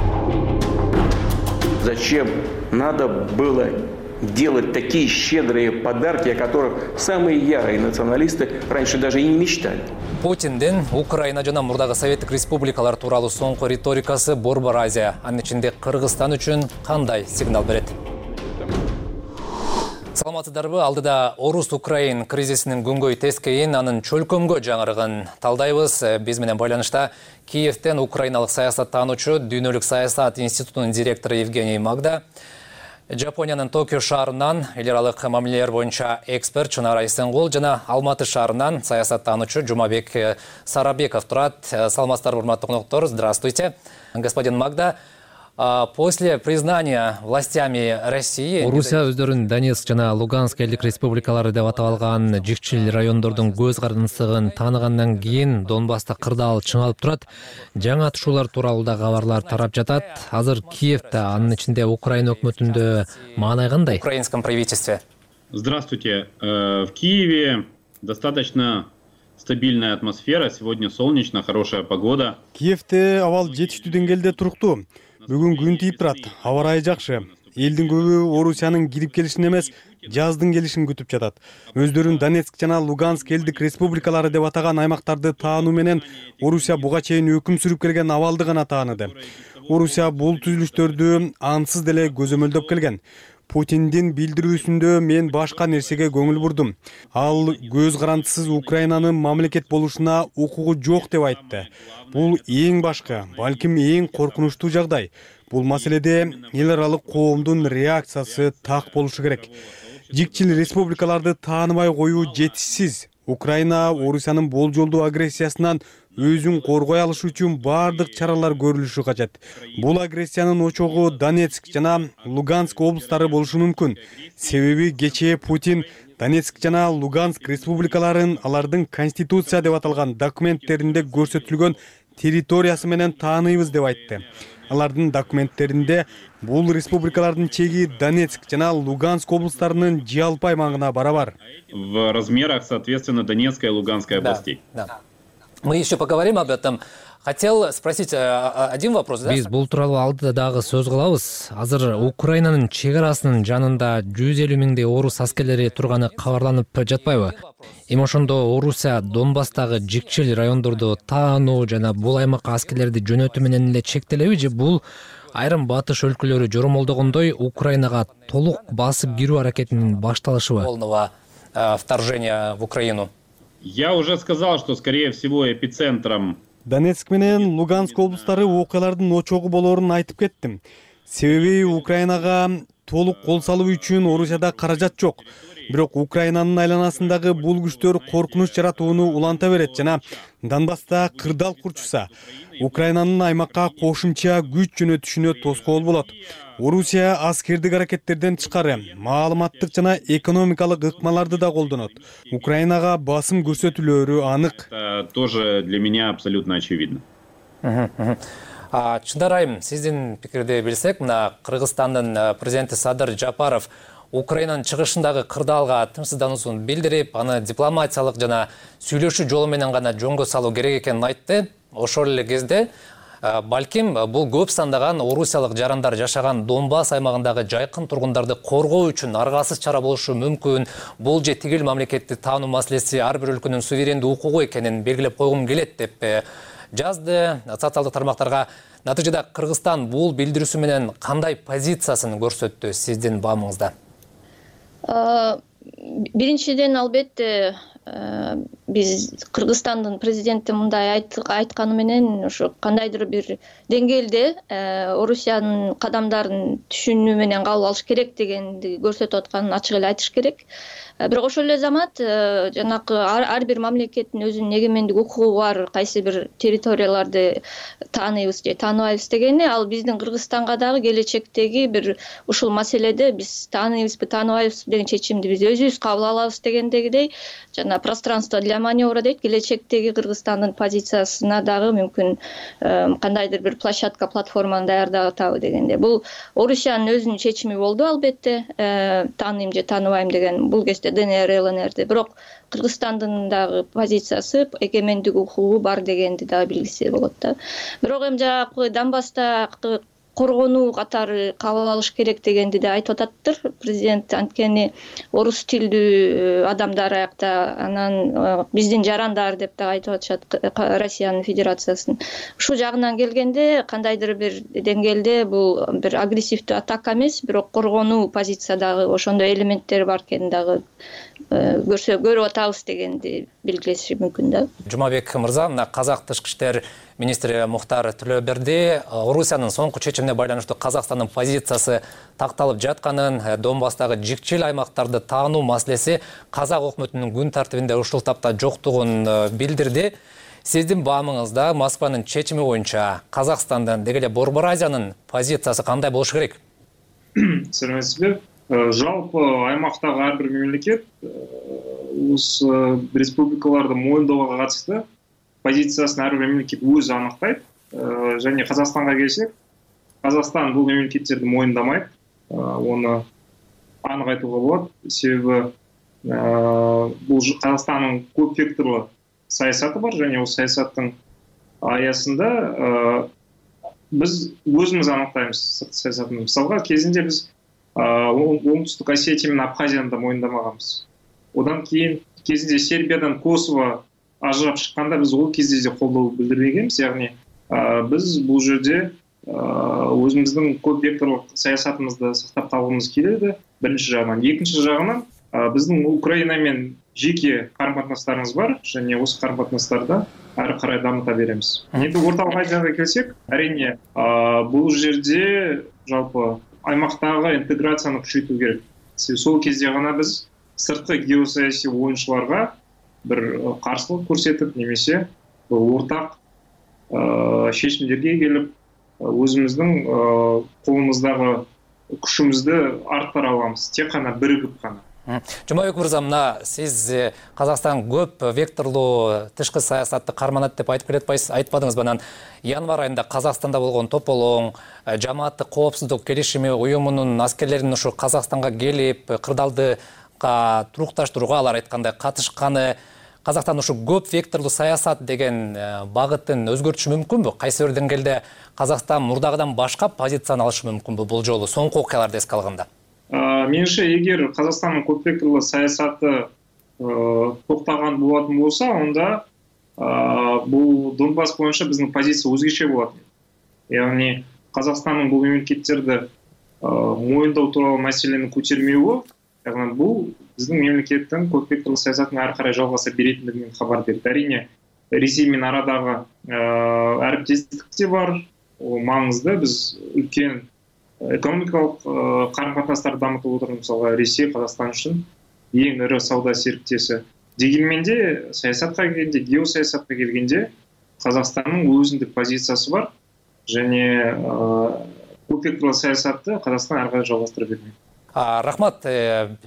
Зачем надо было делать такие щедрые подарки, о которых самые ярые националисты раньше даже и не мечтали? Путиндин Украина жана мурдагы Советтик республикалар тууралуу соңку риторикасы Борбор Азия, анын ичинде Кыргызстан үчүн кандай сигнал берет? Саламатсыздарбы? Алдыда Орус-Украин кризисинин күнгөй тескейин, анын чөлкөмгө жаңырыгын талдайбыз. Биз менен байланышта Киевтен украиналык саясаттануучу, Дүйнөлүк саясат институтунун директору Евгений Магда, Жапониянын Токио шаарынан эл аралык мамилелер боюнча эксперт Чынара Исенгул жана Алматы шаарынан саясаттануучу Жумабек Сарабеков турат. Саламатсыздарбы, урматтуу коноктор? Здравствуйте. Господин Магда, после признания властями России Орусия өздөрүн Донецк жана Луганск элдик республикалары деп аталган жикчил райондордун көз карандысыгын тааныгандан кийин Донбасста кырдаал чыңалып турат. Жаңа атышуулар тууралуу да кабарлар тарап жатат. Азыр Киевде, анын ичинде Украина өкмөтүндө маанай кандай? В украинском правительстве. Здравствуйте. В Киеве достаточно стабильная атмосфера. Сегодня солнечно, хорошая погода. Киевде абал жетиштүү деңгээлде туруктуу. Бүгүн күн тийип турат, аба ырайы жакшы. Элдин көбү Орусиянын кирип келишин эмес, жаздын келишин күтүп жатат. Өздөрүн Донецк жана Луганск элдик республикалары деп атаган аймактарды таануу менен Орусия буга чейин өкүм сүрүп келген абалды гана тааныды. Орусия бул түзүлүштөрдү ансыз деле көзөмөлдөп келген. Путиндин билдирүүсүндө мен башка нерсеге көңүл бурдум. Ал көз карандысыз Украинанын мамлекет болушуна укугу жок деп айтты. Бул эң башкы, балким эң коркунучтуу жагдай. Бул маселеде эл аралык коомдун реакциясы так болушу керек. Жикчил республикаларды тааныбай коюу жетишсиз. Украина Орусиянын болжолдуу агрессиясынан өзүн коргой алыш үчүн бардык чаралар көрүлүшү кажет. Бул агрессиянын очогу Донецк жана Луганск облустары болушу мүмкүн. Себеби кечээ Путин Донецк жана Луганск республикаларын алардын конституция деп аталган документтеринде көрсөтүлгөн территориясы менен тааныйбыз деп айтты. Алардын документтеринде бул республикалардын чеги Донецк жана Луганск облустарынын жалпы аймагына барабар. В размерах, соответственно, Донецкой и Луганской областей. Да. Мы еще поговорим об этом. Хотел спросить один вопрос, да? Биз бул тууралуу алдыда дагы сөз кылабыз. Азыр Украинанын чек арасынын жанында 150 миңдей орус аскерлери турганы кабарланып жатпайбы? Эми ошондо Орусия Донбасстагы жикчил райондорду таануу жана бул аймакка аскерлерди жөнөтүү менен эле чектелеби же бул айрым батыш өлкөлөрү жоромолдогондой Украинага толук басып кирүү аракетинин башталышыбы? Полного вторжения в Украину. Я уже сказал, что, скорее всего, эпицентром Донецк менен Луганск облустары окуялардын очогу болоорун айтып кеттим. Себеби Украинага толук кол салуу үчүн Орусияда каражат жок. Бирок Украинанын айланасындагы бул күчтөр коркунуч жаратууну уланта берет жана Донбасста кырдаал курчуса, Украинанын аймакка кошумча күч жөнөтүшүнө тоскоол болот. Орусия аскердик аракеттерден тышкары маалыматтык жана экономикалык ыкмаларды да колдонот. Украинага басым көрсөтүлөөрү анык. Тоже для меня абсолютно очевидно. Чындар айым, сиздин пикирди билсек, мына Кыргызстандын президенти Садыр Жапаров Украинанын чыгышындагы кырдаалга тынчсыздануусун билдирип, аны дипломатиялык жана сүйлөшүү жолу менен гана жөнгө салуу керек экенин айтты. Ошол эле кезде балким бул көп сандаган орусиялык жарандар жашаган Донбасс аймагындагы жайкын тургундарды коргоо үчүн аргасыз чара болушу мүмкүн. Бул же тигил мамлекетти таануу маселеси ар бир өлкөнүн суверендүү укугу экенин белгилеп койгум келет деп жазды социалдык тармактарга. Натыйжада Кыргызстан бул билдирүүсү менен кандай позициясын көрсөттү сиздин баамыңызда? Биринчиден, албетте, биз Кыргызстандын президенти мындай айтканы менен ушу кандайдыр бир деңгээлде Орусиянын кадамдарын түшүнүү менен кабыл алыш керек дегенди көрсөтүп атканын ачык эле айтыш керек. Бирок ошол эле замат жанакы ар бир мамлекеттин өзүнүн эгемендик укугу бар, кайсы бир территорияларды тааныйбыз же тааныбайбыз дегени, ал биздин Кыргызстанга дагы келечектеги бир ушул маселеде биз тааныйбызбы, тааныбайбыз деген чечимди биз өзүбүз кабыл алабыз дегендегидей, жана пространство для маневра дейт, келечектеги Кыргызстандын позициясына дагы мүмкүн кандайдыр бир площадка, платформаны даярдап атабы дегенде. Бул Орусиянын өзүнүн чечими болду албетте, тааныйм же тааныбайм деген бул кезде ДНР, ЛНРде. Бирок Кыргызстандын дагы позициясы, эгемендик укугу бар дегенди дагы билгисе болот да. Бирок эми жанагы Донбасста коргонуу катары кабыл алыш керек дегенди да айтып ататтыр президент. Анткени орус тилдүү адамдар аякта, анан биздин жарандар деп да айтып атышат Россиянын Федерациясын. Ушул жагынан келгенде кандайдыр бир деңгээлде бул бир агрессивдүү атака эмес, бирок коргонуу позициядагы ошондой элементтер бар экенин дагы көрүп атабыз дегенди белгилеши мүмкүн да. Жумабек мырза, мына Казак тышкы иштер министри Мухтар Төлөберди Орусиянын соңку чечимине байланыштуу Казакстандын позициясы такталып жатканын, Донбасстагы жикчил аймактарды таануу маселеси Казак өкмөтүнүн күн тартибинде ушул тапта жоктугун билдирди. Сиздин баамыңызда Москванын чечими боюнча Казакстандын деги эле Борбор Азиянын позициясы кандай болуш керек? Саламатсызбы. Жалпы аймактагы ар бир мемлекет республикаларды моюндоого катышты позициясын ар бир мемлекет өзү аныктайт. Және Казакстанга келсек, Казакстан бул мемлекеттерди моюндамайт. Оны анык айтууга болот. Себеби бул Казакстандын көп векторлуу саясаты бар, және осы саясаттын аясында биз өзүбүз аныктайбыз сырткы саясатын. Мисалга кезинде биз Оңтүстүк Осетия менен Абхазияны да моюндамаганбыз. Одан кийин кезинде Сербиядан Косово ажырап шыққанда біз ол кезде де қолдау білдірмегенбіз. Яғни біз бұл жерде өзіміздің көп векторлық саясатымызды сақтап қалғымыз келеді. Бірінші жағынан. Екінші жағынан біздің Украинамен жеке қарым-қатынастарымыз бар, және осы қарым-қатынастарды ары қарай дамыта береміз. Енді орталық Азияға келсек, әрине бұл жерде жалпы аймақтағы интеграцияны күшейту керек. Сол кезде ғана біз сыртқы геосаяси ойыншыларға бір қарсылық көрсетіп, немесе ортақ шешімдерге келіп, өзіміздің қолымыздағы күшімізді арттыра аламыз, тек қана бірігіп қана. Жумабек мырза, мына сиз Казакстан көп векторлуу тышкы саясатты карманат деп айтып келатпайсыз, айтпадыңыз. Банан январь айында Казакстанда болгон тополоң, жамааттык коопсуздук келишими уюмунун аскерлеринин ушу Казакстанга келип, кырдаалды турукташтырууга алар айткандай катышканы, Казакстан ушу көп векторлуу саясат деген багытын өзгөртүшү мүмкүнбү? Кайсы бир деңгээлде Казакстан мурдагыдан башка позицияны алышы мүмкүнбү бул жолу соңку окуяларды эске алганда? Меніңше, егер Қазақстанның көп векторлы саясаты тоқтаған болатын болса, онда бұл Донбасс бойынша біздің позиция өзгеше болатын. Яғни Қазақстанның бұл мемлекеттерді мойындау туралы мәселені көтермеуі, яғни бұл біздің мемлекеттің көп векторлы саясатын ары қарай жалғаса беретіндігінен хабар берді. Әрине, Ресеймен арадағы әріптестік те бар, ол маңызды. Біз үлкен экономикалық қарым-қатынастарды дамытып отырмыз. Мысалға Ресей Қазақстан үшін ең ірі сауда серіктесі. Дегенмен де саясатқа келгенде, геосаясатқа келгенде Қазақстанның өзіндік позициясы бар, және көп векторлы саясатты Қазақстан ары қарай жалғастыра бермек. Рахмат,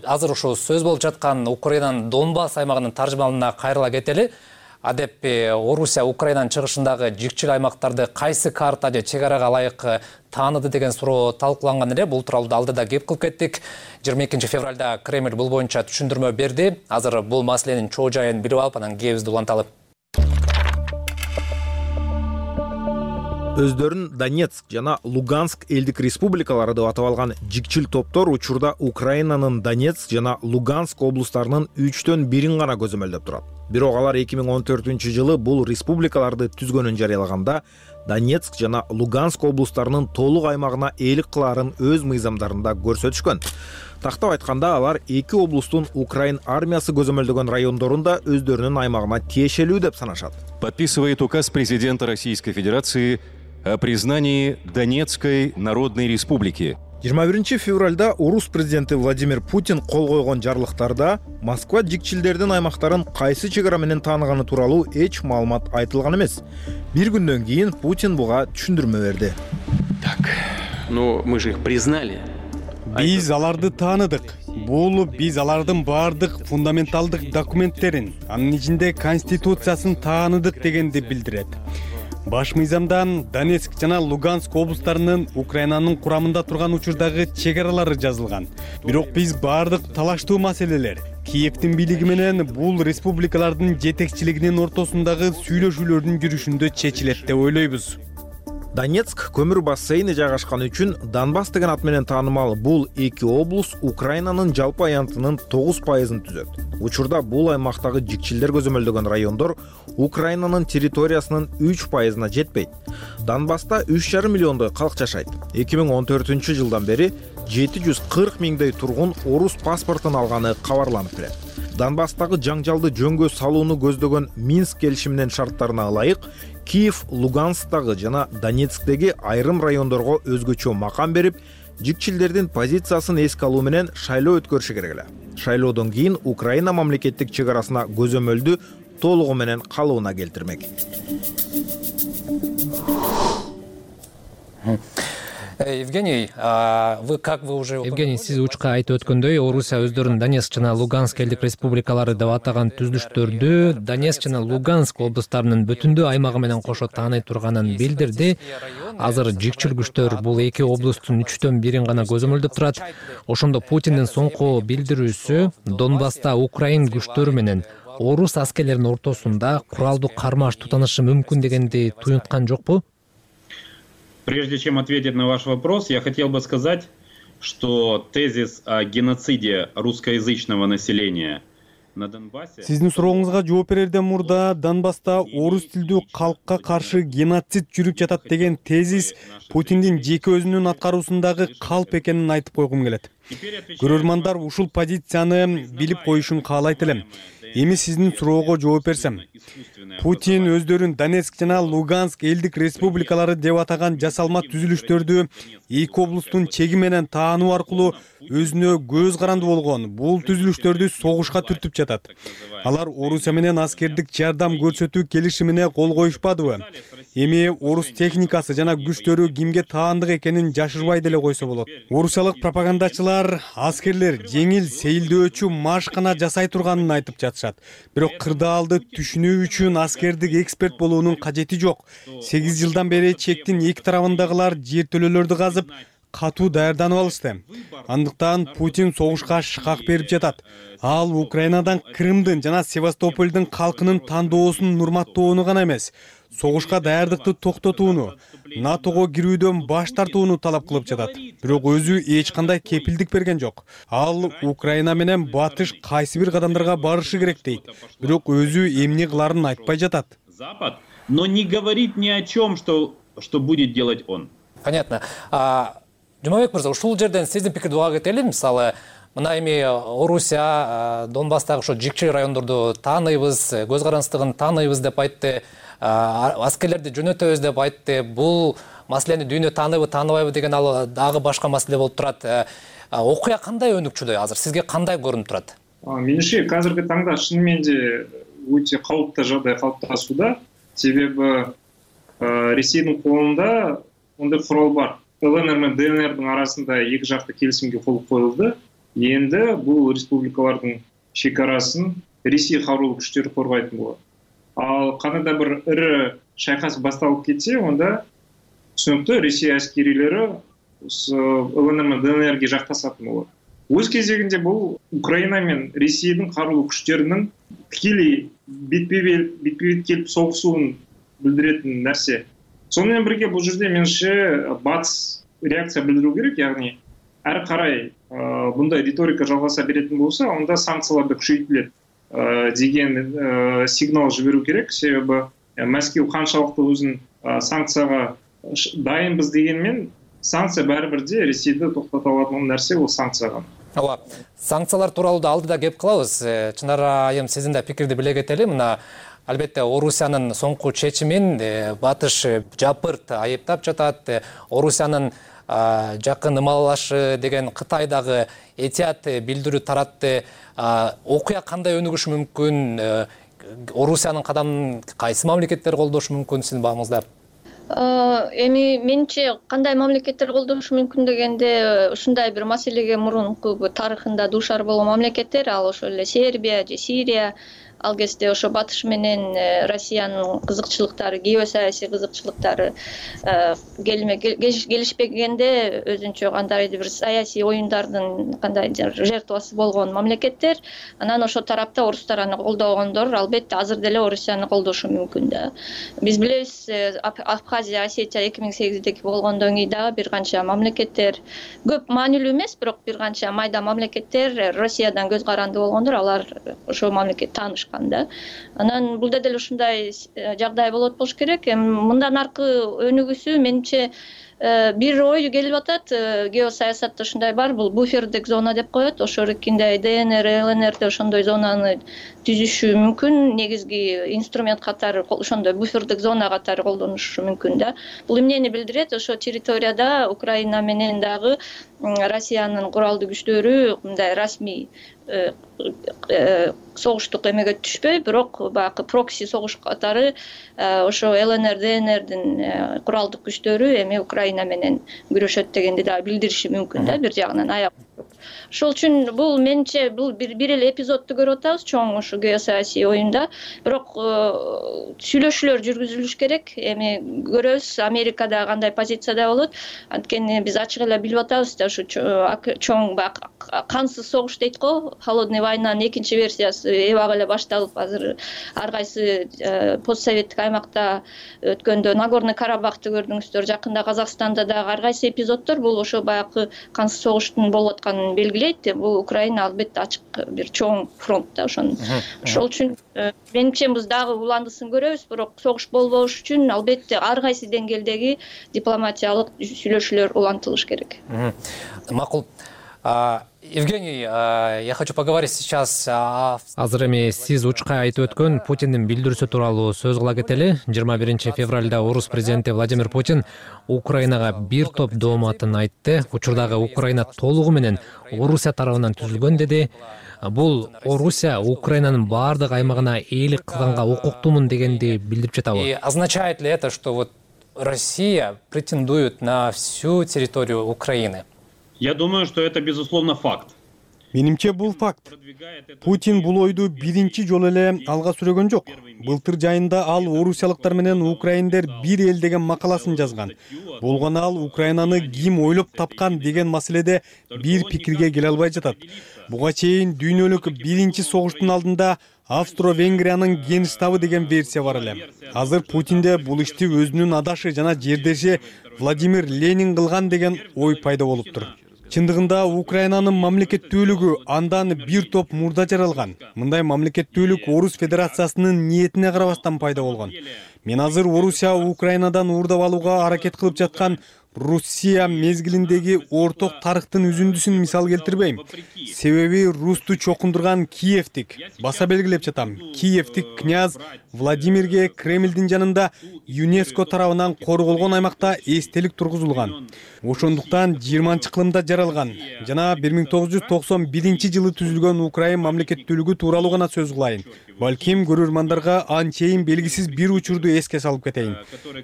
азыр ушу сөз болуп жаткан Украинанын Донбасс аймагынын таржымалына кайрыла кетели. Адеппи Орусия Украинанын чыгышындагы жикчил аймактарды кайсы карта же чек арага ылайык тааныды деген суроо талкууланган эле. Бул тууралуу алдыда кеп кылып кеттик. 22 февралда Кремль бул боюнча түшүндүрмө берди. Азыр бул маселенин чоо жайын билип алып, анан кебизди уланталы. Өздөрүн Донецк жана Луганск элдик республикалары деп атап алган жикчил топтор учурда Украинанын Донецк жана Луганск облустарынын 3/1 гана көзөмөлдөп турат. Бирок алар 2014-жылы бул республикаларды түзгөнүн жарыялаганда Донецк жана Луганск облустарынын толук аймагына ээлик кылаарын өз мыйзамдарында көрсөтүшкөн. Тактап айтканда алар эки облустун Украин армиясы көзөмөлдөгөн райондорунда өздөрүнүн аймагына тиешелүү деп санашат. Подписывает указ президента Российской Федерации о признании Донецкой Народной Республики. 21 февралда орус президенти Владимир Путин кол койгон жарлыктарда Москва жикчилдердин аймактарын кайсы чек ара менен тааныганы тууралуу эч маалымат айтылган эмес. Бир күндөн кийин Путин буга түшүндүрмө берди. Так, но мы же их признали. Биз аларды тааныдык. Бул биз алардын баардык фундаменталдык документтерин, анын ичинде конституциясын тааныдык дегенди билдирет. Баш мыйзамдан Донецк жана Луганск облустарынын Украинанын курамында турган учурдагы чек аралары жазылган. Бирок биз баардык талаштуу маселелер Киевдин бийлиги менен бул республикалардын жетекчилигинин ортосундагы сүйлөшүүлөрдүн жүрүшүндө чечилет деп ойлойбуз. Донецк көмүр бассейни жайгашкан үчүн Донбасс деген ат менен таанымал бул эки облус Украинанын жалпы аянтынын 9%-ын түзөт. Учурда бул аймактагы жикчилдер көзөмөлдөгөн райондор Украинанын территориясынын 3%-на жетпейт. Донбасста 3,5 миллиондой калк жашайт. 2014-жылдан бери 740 миңдей тургун орус паспортун алганы кабарланып келет. Донбасстагы жаңжалды жөнгө салууну көздөгөн Минск келишиминин шарттарына ылайык Киев, Луганскдагы жана Донецктеги айрым райондорго өзгөчө макам берип, жикчилдердин позициясын эске алуу менен шайлоо өткөрүшү керек эле. Шайлоодон кийин Украина мамлекеттик чек арасына көзөмөлдү толугу менен калыбына келтирмек. Евгений, Евгений, сиз учка айтып өткөндөй, Орусия өздөрүн Донецк жана Луганск элдик республикалары деп атаган түзүлүштөрдү Донецк жана Луганск облустарынын бүтүндүү аймагы менен кошо тааный турганын билдирди. Азыр жикчил күчтөр бул эки облустун 3/1 гана көзөмөлдөп турат. Ошондо Путиндин соңку билдирүүсү Донбасста Украин күчтөрү менен орус аскерлеринин ортосунда куралдуу кармаш тутанышы мүмкүн дегенди туюнткан жокпу? Прежде чем ответить на ваш вопрос, я хотел бы сказать, что тезис о геноциде русскоязычного населения на Донбассе... Сиздин сурооңузга жооп берерден мурда Донбасста орус тилдүү калкка каршы геноцид жүрүп жатат деген тезис Путиндин жеке өзүнүн аткаруусундагы калп экенин айтып койгум келет. Көрөрмандар ушул позицияны билип коюшун каалайт элем. Эми сиздин суроого жооп берсем, Путин өздөрүн Донецк жана Луганск элдик республикалары деп атаган жасалма түзүлүштөрдү эки облустун чеги менен таануу аркылуу өзүнө көз каранды болгон бул түзүлүштөрдү согушка түртүп жатат. Алар Орусия менен аскердик жардам көрсөтүү келишимине кол коюшпадыбы? Эми орус техникасы жана күчтөрү кимге таандык экенин жашырбай деле койсо болот. Орусиялык пропагандачылар аскерлер жеңил сейилдөөчү машкана жасай турганын айтып жатышат. Бирок кырдаалды түшүнүү үчүн аскердик эксперт болуунун кажети жок. 8 жылдан бери чектин эки тарабындагылар жертөлөлөрдү казып, катуу даярданып алышты. Андыктан Путин согушка шкак берип жатат. Ал Украинадан Крымдын жана Севастополдун калкынын тандоосун урматтоону гана эмес, согушка даярдыкты токтотууну, НАТОго кирүүдөн баш тартууну талап кылып жатат. Бирок өзү эч кандай кепилдик берген жок. Ал Украина менен батыш кайсы бир кадамдарга барышы керек дейт. Бирок өзү эмне кыларын айтпай жатат. Запад, но не говорит ни о чем, что будет делать он. Понятно. Жумабек мырза, ушул жерден сиздин пикирди уга кетели. Мисалы, мына эми Орусия Донбасстагы ошо жикчил райондорду тааныйбыз, көз карандысыздыгын тааныйбыз деп айтты. Аскерлерди жөнөтөбүз деп айтты. Бул маселени дүйнө тааныбы, тааныбайбы деген ал дагы башка маселе болуп турат. Окуя кандай өнүкчүдөй азыр? Сизге кандай көрүнүп турат? Менимче, азыркы таңда чын менде өтө калыптуу жагдай калыпташууда. Себеби Ресейдин колунда ондай курал бар. ЛНР менен ДНРдин арасында эки жакты келисимге кол коюлду. Энди бул республикалардын чек арасын Ресей карулуу күчтөрү коргойтун болот. Ал кандайда бир ири шайкас башталып кетсе, онда түсүнүктүү Ресей аскерилери ЛНР менен ДНРге жакташатын болот. Өз кезегинде бул Украина менен Ресейдин карулуу күчтөрүнүн тикелей бетпе-бет келип согушуун билдиретін нәрсе. Сонымен бірге бұл жерде меніңше батыс реакция білдіру керек, яғни әрі қарай бұндай риторика жалғаса беретін болса, онда санкцияларды күшейтіледі деген сигнал жіберу керек. Себебі Мәскеу қаншалықты өзін санкцияға дайынбыз дегенмен, санкция бәрібір де Ресейді тоқтата алатын нәрсе ол санкцияға. ооба, санкциялар тууралуу да алдыда кеп кылабыз. Чынар айым, сиздин да пикирди биле кетели. Мына албетте Орусиянын соңку чечимин Батыш жапырт айыптап жатат. Орусиянын жакын ымалашы деген Кытайдагы этият билдирүү таратты. Окуя кандай өнүгүшү мүмкүн? Орусиянын кадамын кайсы мамлекеттер колдошу мүмкүн сиздин багыңызда? Эми менче кандай мамлекеттер колдошу мүмкүн дегенде, ушундай бир маселеге мурунку тарыхында дуушар болгон мамлекеттер, ал ошо эле Сербия же Сирия. Ал кезде ошо Батыш менен Россиянын кызыкчылыктары, геосаясий кызыкчылыктары келишпегенде өзүнчө кандайдыр бир саясий оюндардын кандайдыр жертвасы болгон мамлекеттер. Анан ошо тарапта орустар аны колдогондор албетте азыр деле Орусияны колдошу мүмкүн да. Биз билебиз, Абхазия, Осетия 2008-деги болгондон кийин дагы бир канча мамлекеттер, көп маанилүү эмес, бирок бир канча майда мамлекеттер Россиядан көз каранды болгондор, алар ошо мамлекет тааныш. Анан бул деле ушундай жагдай болот болуш керек. Мындан аркы өнүгүүсү менимче бир ой келип атат. Геосаясатта ушундай бар, бул буфердик зона деп коет. Ошо эркиндей ДНР, ЛНРде ошондой зонаны түзүшү мүмкүн. Негизги инструмент катары ошондой буфердик зона катары колдонушу мүмкүн да. Бул эмнени билдирет? Ошо территорияда Украина менен дагы Россиянын куралдуу күчтөрү мындай расмий согуштук эмеге түшпөй, бирок баягы прокси согуш катары ошо ЛНР, ДНРдин куралдык күчтөрү эми Украина менен күрөшөт дегенди да билдириши мүмкүн да, бир жагынан аяк. Ошол үчүн бул менче бул бир эле эпизодду көрүп атабыз чоң ушу геосаясий оюнда. Бирок сүйлөшүүлөр жүргүзүлүш керек. Эми көрөбүз Америкада кандай позицияда болот. Анткени биз ачык эле билип атабыз да, ушу чоң кансыз согуш дейт го, холодный войнанын экинчи версиясы эбак эле башталып, азыр ар кайсы постсоветтик аймакта өткөндө Нагорный Карабахты көрдүңүздөр, жакында Казакстанда дагы ар кайсы эпизоддор бул ошо баягы кансыз согуштун болуп атканын белгилейт. Бул Украина албетте ачык бир чоң фронт да ошон. Ошол үчүн менимче биз дагы уландысын көрөбүз, бирок согуш болбош үчүн албетте ар кайсы деңгээлдеги дипломатиялык сүйлөшүүлөр улантылыш керек. Макул. Евгений, я хочу поговорить сейчас. Азыр эми сиз учкай айтып өткөн Путиндин билдирүүсү тууралуу сөз кыла кетели. 21 февралда орус президенти Владимир Путин Украинага бир топ дооматын айтты. Учурдагы Украина толугу менен Орусия тарабынан түзүлгөн деди. Бул Орусия Украинанын баардык аймагына ээлик кылганга укуктуумун дегенди билдирип жатабы? И означает ли это, что вот Россия претендует на всю территорию Украины? Я думаю, что это безусловно факт. Менимче бул факт. Путин бул ойду биринчи жолу эле алга сүрөгөн жок. Былтыр жайында ал орусиялыктар менен украиндер бир эл деген макаласын жазган. Болгону ал Украинаны ким ойлоп тапкан деген маселеде бир пикирге келе албай жатат. Буга чейин дүйнөлүк биринчи согуштун алдында Австро-Венгриянын генштабы деген версия бар эле. Азыр Путинде бул ишти өзүнүн адашы жана жердеши Владимир Ленин кылган деген ой пайда болуптур. Чындыгында Украинанын мамлекеттүүлүгү андан бир топ мурда жаралган. Мындай мамлекеттүүлүк Орус Федерациясынын ниетине карабастан пайда болгон. Мен азыр Орусия Украинадан уурдап алууга аракет кылып жаткан Россия мезгилиндеги орток тарыхтын үзүндүсүн мисал келтирбейм. Себеби русту чокундурган Киевтик, баса белгилеп жатам, Киевтик княз Владимирге Кремлдин жанында ЮНЕСКО тарабынан корголгон аймакта эстелик тургузулган. Ошондуктан 20-кылымда жаралган жана 1991-жылы түзүлгөн Украин мамлекеттүүлүгү тууралуу гана сөз кылайын. Балким көрөрмандарга анчейин белгисиз бир учурду эске салып кетейин.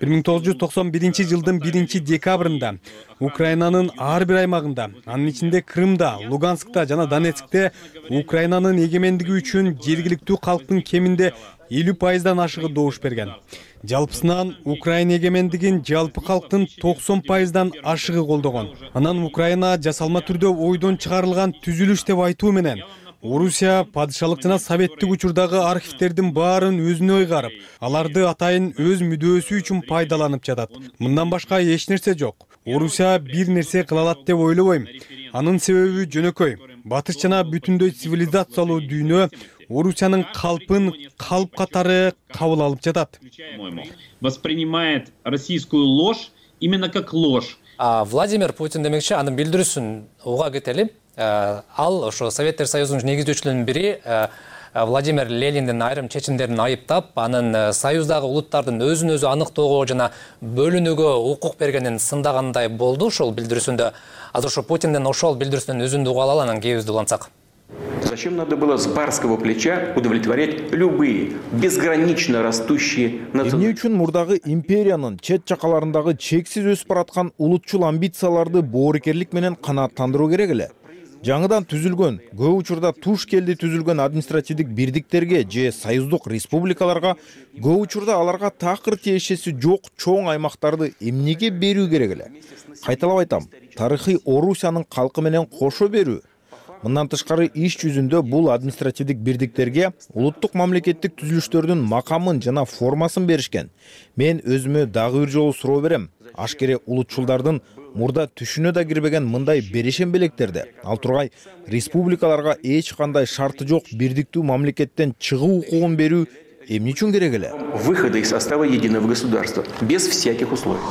1991-жылдын 1-декабрында Украинанын ар бир аймагында, анын ичинде Крымда, Луганскта жана Донецкте Украинанын эгемендиги үчүн жергиликтүү калктын кеминде 50% ашыгы добуш берген. Жалпысынан Украина эгемендигин жалпы калктын 90% ашыгы колдогон. Анан Украина жасалма түрдө ойдон чыгарылган түзүлүш деп айтуу менен Орусия падышалык жана советтик учурдагы архивтердин баарын өзүнө ыйгарып, аларды атайын өз мүдөөсү үчүн пайдаланып жатат. Мындан башка эч нерсе жок. Орусия бир нерсе кыла алат деп ойлобойм. Анын себеби жөнөкөй. Батыш жана бүтүндөй цивилизациялуу дүйнө Орусиянын калпын калп катары кабыл алып жатат. Воспринимает российскую ложь именно как ложь. Владимир Путин демекчи, анын билдирүүсүн уга кетели. ал ошо Советтер Союзунун негиздөөчүлөрүнүн бири Владимир Лениндин айрым чечимдерин айыптап, анын союздагы улуттардын өзүн өзү аныктоого жана бөлүнүүгө укук бергенин сындагандай болду ошол билдирүүсүндө. Азыр ошо Путиндин ошол билдирүүсүнөн өзүндү угуп алалы, анан кээбизди улантсак. Зачем надо было с барского плеча удовлетворять любые безгранично растущие эмне үчүн мурдагы империянын чет жакаларындагы чексиз өсүп бараткан улутчул амбицияларды боорукерлик менен канааттандыруу керек эле? Жаңыдан түзүлгөн, көп учурда туш келди түзүлгөн административдик бирдиктерге же союздук республикаларга көп учурда аларга такыр тиешеси жок чоң аймактарды эмнеге берүү керек эле? Кайталап айтам, тарыхый Орусиянын калкы менен кошо берүү. Мындан тышкары иш жүзүндө бул административдик бирдиктерге улуттук мамлекеттик түзүлүштөрдүн макамын жана формасын беришкен. Мен өзүмө дагы бир жолу суроо берем. Ашкере улутчулдардын мурда түшүнө да кирбеген мындай берешен белектерди ал тургай республикаларга эч кандай шарты жок бирдиктүү мамлекеттен чыгуу укугун берүү эмне үчүн керек эле? Выхода из состава единого государства без всяких условий.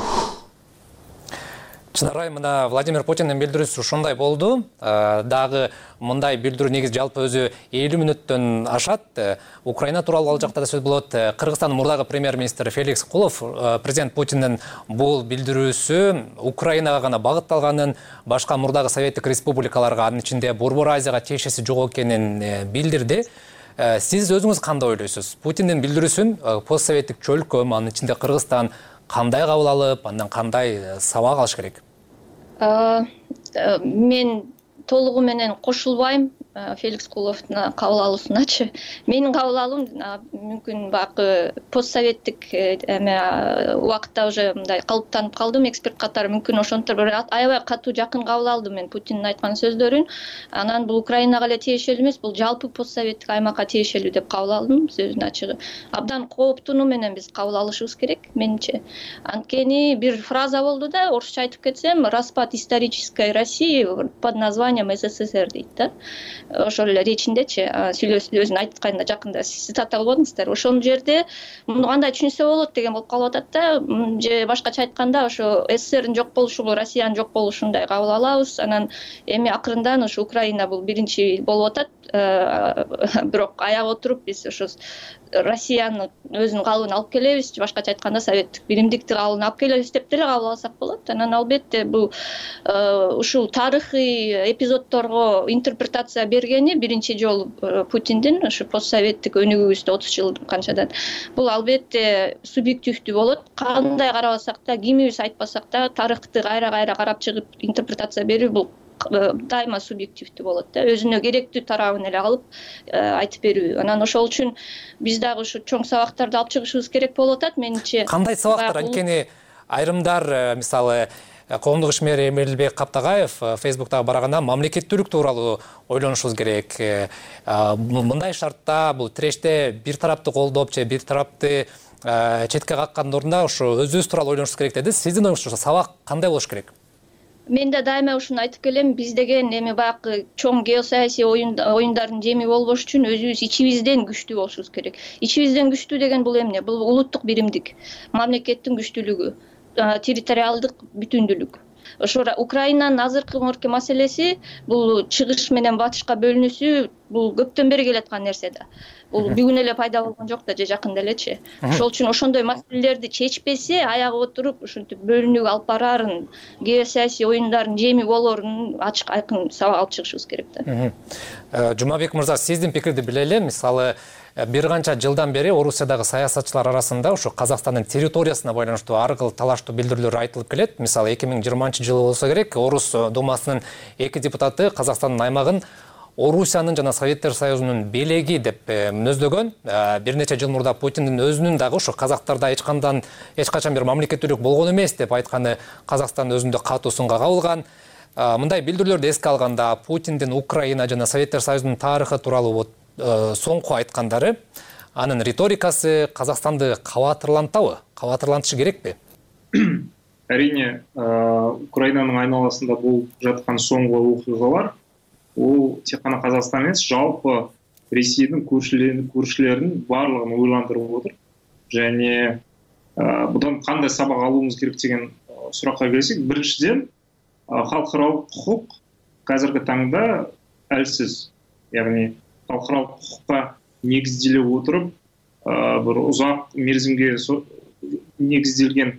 Чынарай, мына Владимир Путиндин билдирүүсү ушундай болду. Дагы мындай билдирүү негизи жалпы өзү 50 мүнөттөн ашат. Украина тууралуу ал жакта да сөз болот. Кыргызстандын мурдагы премьер-министри Феликс Кулов президент Путиндин бул билдирүүсү Украинага гана багытталганын, башка мурдагы советтик республикаларга, анын ичинде Борбор Азияга тиешеси жок экенин билдирди. Сиз өзүңүз кандай ойлойсуз? Путиндин билдирүүсүн постсоветтик чөлкө, анын ичинде Кыргызстан кандай кабыл алып, андан кандай сабак алыш керек? Мен толугу менен кошулбайм Феликс Куловдун кабыл алуусуначы. Менин кабыл алуум мүмкүн баягы постсоветтик убакытта уже мындай калыптанып калдым эксперт катары. Мүмкүн ошонтор бир аябай катуу жакын кабыл алдым мен Путиндин айткан сөздөрүн. Анан бул Украинага эле тиешелүү эмес, бул жалпы постсоветтик аймакка тиешелүү деп кабыл алдым сөзүнүн ачыгы. Абдан кооптунуу менен биз кабыл алышыбыз керек менимче. Анткени бир фраза болду да, орусча айтып кетсем, распад исторической России под названием СССР дейт да. Ошол эле речиндечи сүйлөшүп айтканда жакында цитат албадыңыздар. Ошол жерде муну кандай түшүнсө болот деген болуп калып атат да, же башкача айтканда ошо СССРдин жок болушу бул Россиянын жок болушундай кабыл алабыз. Анан эми акырындан ошо Украина бул биринчи болуп атат. Бирок аяп отуруп биз ошо Россиянын өзүнүн калыбын алып келебиз, же башкача айтканда советтик биримдикти калыбын алып келебиз деп деле кабыл алсак болот. Анан албетте бул ушул тарыхый эпизоддорго интерпретация бергени биринчи жолу Путиндин ошо постсоветтик өнүгүүбүздө 30 жыл канчадан. Бул албетте субъективдүү болот. Кандай карабасак да, кимибиз айтпасак да, тарыхты кайра карап чыгып интерпретация берүү бул дайыма субъективдүү болот да, өзүнө керектүү тарабын эле алып айтып берүү. Анан ошол үчүн биз дагы ушу чоң сабактарды алып чыгышыбыз керек болуп атат менимче. Кандай сабактар? Анткени айрымдар, мисалы коомдук ишмер Эмилбек Каптагаев Фейсбуктагы бараганда мамлекеттүүлүк тууралуу ойлонушубуз керек. Мындай шартта бул тиреште бир тарапты колдоп же бир тарапты четке каккандын ордуна ошо өзүбүз тууралуу ойлонушубуз керек деди. Сиздин оюңузча сабак кандай болуш керек? Мен да дайыма ушуну айтып келем, биз деген эми баягы чоң геосаясий оюндардын жеми болбош үчүн өзүбүз ичибизден күчтүү болушубуз керек. Ичибизден күчтүү деген бул эмне? Бул улуттук биримдик, мамлекеттин күчтүүлүгү, территориалдык бүтүндүүлүк. Ошо Украинанын азыркы маселеси бул чыгыш менен батышка бөлүнүүсү бул көптөн бери келаткан нерсе да. Бул бүгүн эле пайда болгон жок да, же жакында элечи. Ошол үчүн ошондой маселелерди чечпесе, аягы отуруп ушинтип бөлүнүүгө алып барарын, геосаясий оюндардын жеми болорун ачык айкын сабак алып чыгышыбыз керек да. Жумабек мырза, сиздин пикирди биле элем. Мисалы, бир канча жылдан бери Орусиядагы саясатчылар арасында ошо Казакстандын территориясына байланыштуу ар кыл талаштуу билдирүүлөр айтылып келет. Мисалы 2020-жылы болсо керек, Орус Думасынын 2 депутаты Казакстандын аймагын Орусиянын жана Советтер Союзунун белеги деп мүнөздөгөн. Бир нече жыл мурда Путиндин өзүнүн дагы ошо казактарда эч качан бир мамлекеттүүлүк болгон эмес деп айтканы Казакстан өзүндө катуу сынга кабылган. Мындай билдирүүлөрдү эске алганда Путиндин Украина жана Советтер Союзунун тарыхы тууралуу соңку айткандары, анын риторикасы Казакстанды кабатырлантабы? Кабатырлантышы керекпи? Әрине, Украинанын айналасында болуп жаткан соңку окуялар ол тек қана Қазақстан емес, жалпы Ресейдің көршілерінің барлығын ойландырып отыр. Және бұдан қандай сабақ алуымыз керек деген сұраққа келсек, біріншіден халықаралық құқық қазіргі таңда әлсіз, яғни халықаралық құқыққа негізделе отырып, бір ұзақ мерзімге негізделген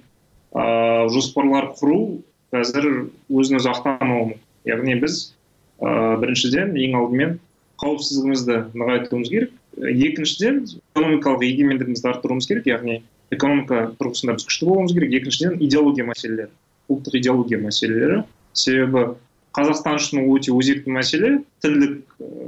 жоспарлар құру қазір өзін өзі ақтамауы. Яғни біз біріншіден ең алдымен қауіпсіздігімізді нығайтуымыз керек. Екіншіден экономикалық егемендігімізді арттыруымыз керек, яғни экономика тұрғысында біз күшті болуымыз керек. Екіншіден идеология мәселелері, ұлттық идеология мәселелері. Себебі Қазақстан үшін өте өзекті мәселе, тілдік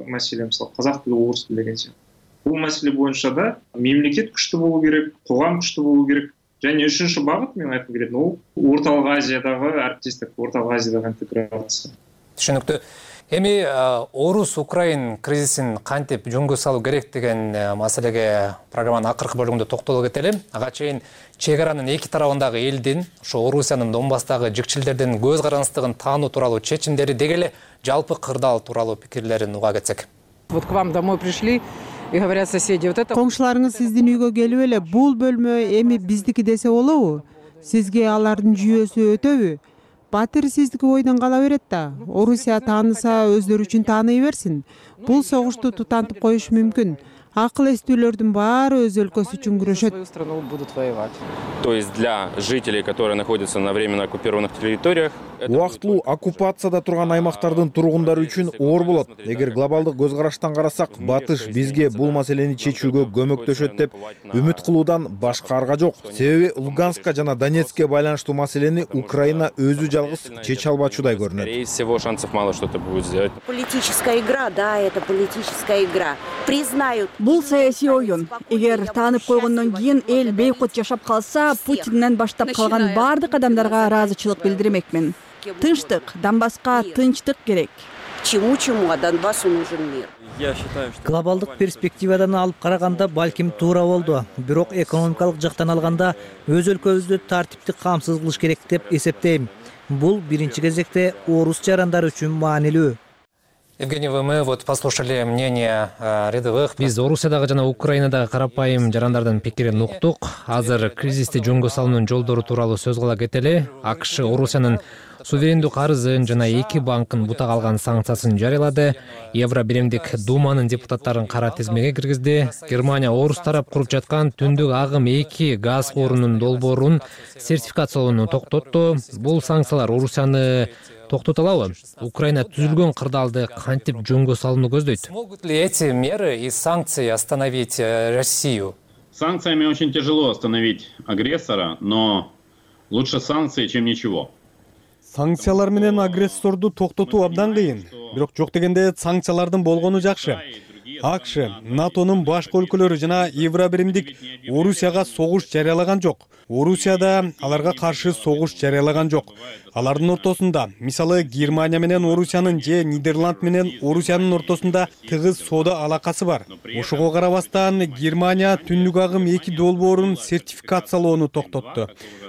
мәселе, мысалы қазақ тілі, орыс тілі деген сияқты. Бұл мәселе бойынша да мемлекет күшті болу керек, қоғам күшті болу керек. Және үшінші бағыт мен айтқым келетін, ол Орталық Азиядағы әріптестік, Орталық Азиядағы интеграция. Түшүнүктүү. Эми орус-украин кризисин кантип жөнгө салуу керек деген маселеге программанын акыркы бөлүгүндө токтоло кетели. Ага чейин чек аранын эки тарабындагы элдин, ошо Орусиянын Донбасстагы жикчилдердин көз карандысыздыгын таануу тууралуу чечимдери деги эле жалпы кырдаал тууралуу пикирлерин уга кетсек. Вот к вам домой пришли и говорят соседи, вот это... Коңшуларыңыз сиздин үйгө келип эле бул бөлмө эми биздики десе болобу? Сизге алардын жүйөсү өтөбү? Батыр сиздики ойдон кала берет да. Орусия тааныса өздөрү үчүн тааный берсин. Бул согушту тутантып коюш мүмкүн. Акыл эстүүлөрдүн баары өз өлкөсү үчүн күрөшөт. То есть для жителей, которые находятся на временно оккупированных территориях, убактылуу оккупацияда турган аймактардын тургундары үчүн оор болот. Эгер глобалдык көз караштан карасак, Батыш бизге бул маселени чечүүгө көмөктөшөт деп үмүт кылуудан башка арга жок. Себеби Луганска жана Донецкке байланыштуу маселени Украина өзү жалгыз чече албачудай көрүнөт. Скорее всего, шансов мало что-то будет сделать. Политическая игра, да, это политическая игра. Признают. Бул саясий оюн. Эгер таанып койгондон кийин эл бейкут жашап калса, Путинден баштап калган баардык адамдарга ыраазычылык билдирмекмин. Тынчтык, Донбасска тынчтык керек. Чему-чему, а Донбассу нужен мир. Глобалдык перспективадан алып караганда балким туура болду. Бирок экономикалык жактан алганда өз өлкөбүздү тартиптик камсыз кылыш керек деп эсептейм. Бул биринчи кезекте орус жарандары үчүн маанилүү. Евгений, мы вот послушали мнение рядовых. Биз Орусиядагы жана Украинадагы карапайым жарандардын пикирин уктук. Азыр кризисти жөнгө салуунун жолдору тууралуу сөз кыла кетели. АКШ Орусиянын суверендүү карызын жана эки банкын бутак алган санкциясын жарыялады. Евро биримдик Думанын депутаттарын кара тизмеге киргизди. Германия орус тарап куруп жаткан түндүк агым 2 газ куурунун долбоорун сертификациялоону токтотту. Бул санкциялар Орусияны токтото алабы? Украина түзүлгөн кырдаалды кантип жөнгө салууну көздөйт? Смогут ли эти меры и санкции остановить Россию? Санкциями очень тяжело остановить агрессора, но лучше санкции, чем ничего. Санкциялар менен агрессорду токтотуу абдан кыйын. Бирок жок дегенде санкциялардын болгону жакшы. АКШ, НАТОнун башка өлкөлөрү жана Евробиримдик Орусияга согуш жарыялаган жок. Орусия да аларга каршы согуш жарыялаган жок. Алардын ортосунда, мисалы Германия менен Орусиянын же Нидерланд менен Орусиянын ортосунда тыгыз соода алакасы бар. Ошого карабастан Германия түндүк агым 2 долбоорун сертификациялоону токтотту.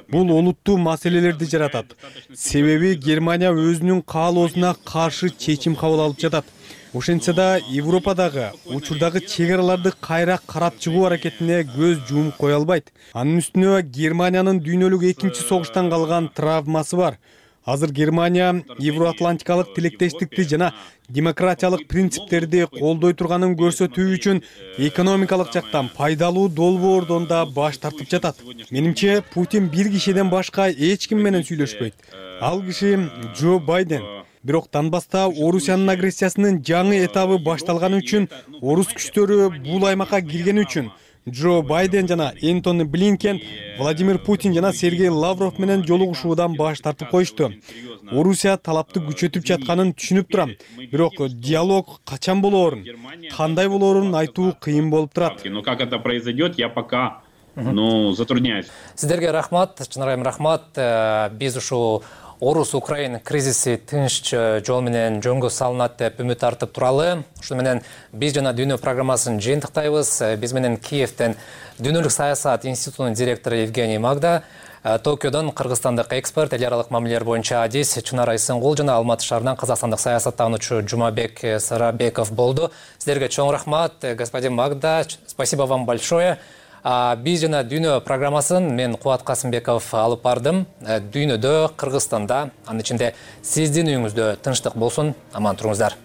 Бул олуттуу маселелерди жаратат. Себеби Германия өзүнүн каалоосуна каршы чечим кабыл алып жатат. Ошентсе да Европадагы учурдагы чек араларды кайра карап чыгуу аракетине көз жумуп кое албайт. Анын үстүнө Германиянын дүйнөлүк экинчи согуштан калган травмасы бар. Азыр Германия евроатлантикалык тилектештикти жана демократиялык принциптерди колдой турганын көрсөтүү үчүн экономикалык жактан пайдалуу долбоордон да баш тартып жатат. Менимче Путин бир кишиден башка эч ким менен сүйлөшпөйт. Ал киши Джо Байден. Бирок Донбасста Орусиянын агрессиясынын жаңы этабы башталганы үчүн, орус күчтөрү бул аймакка киргени үчүн Джо Байден жана Энтони Блинкен, Владимир Путин жана Сергей Лавров менен жолугушуудан баш тартып коюшту. Орусия талапты күчөтүп жатканын түшүнүп турам. Бирок диалог качан болоорун, кандай болоорун айтуу кыйын болуп турат. Но как это произойдет, я пока затрудняюсь. Сиздерге рахмат, чынарайым рахмат. Биз ушул Орус-Украин кризиси тынч жол менен жөнгө салынат деп үмүт артып туралы. Ошону менен биз жана Дүйнө программасын жыйынтыктайбыз. Биз менен Киевден Дүйнөлүк саясат институтунун директору Евгений Магда, Токиодон кыргызстандык эксперт, эл аралык мамилелер боюнча адис Чынар Айсынгул жана Алматы шаарынан казакстандык саясаттануучу Жумабек Сарабеков болду. Сиздерге чоң рахмат, господин Магда. Спасибо вам большое. Биз жана Дүйнө программасын мен Кубат Касымбеков алып бардым. Дүйнөдө, Кыргызстанда, анын ичинде сиздин үйүңүздө тынчтык болсун, аман туруңуздар.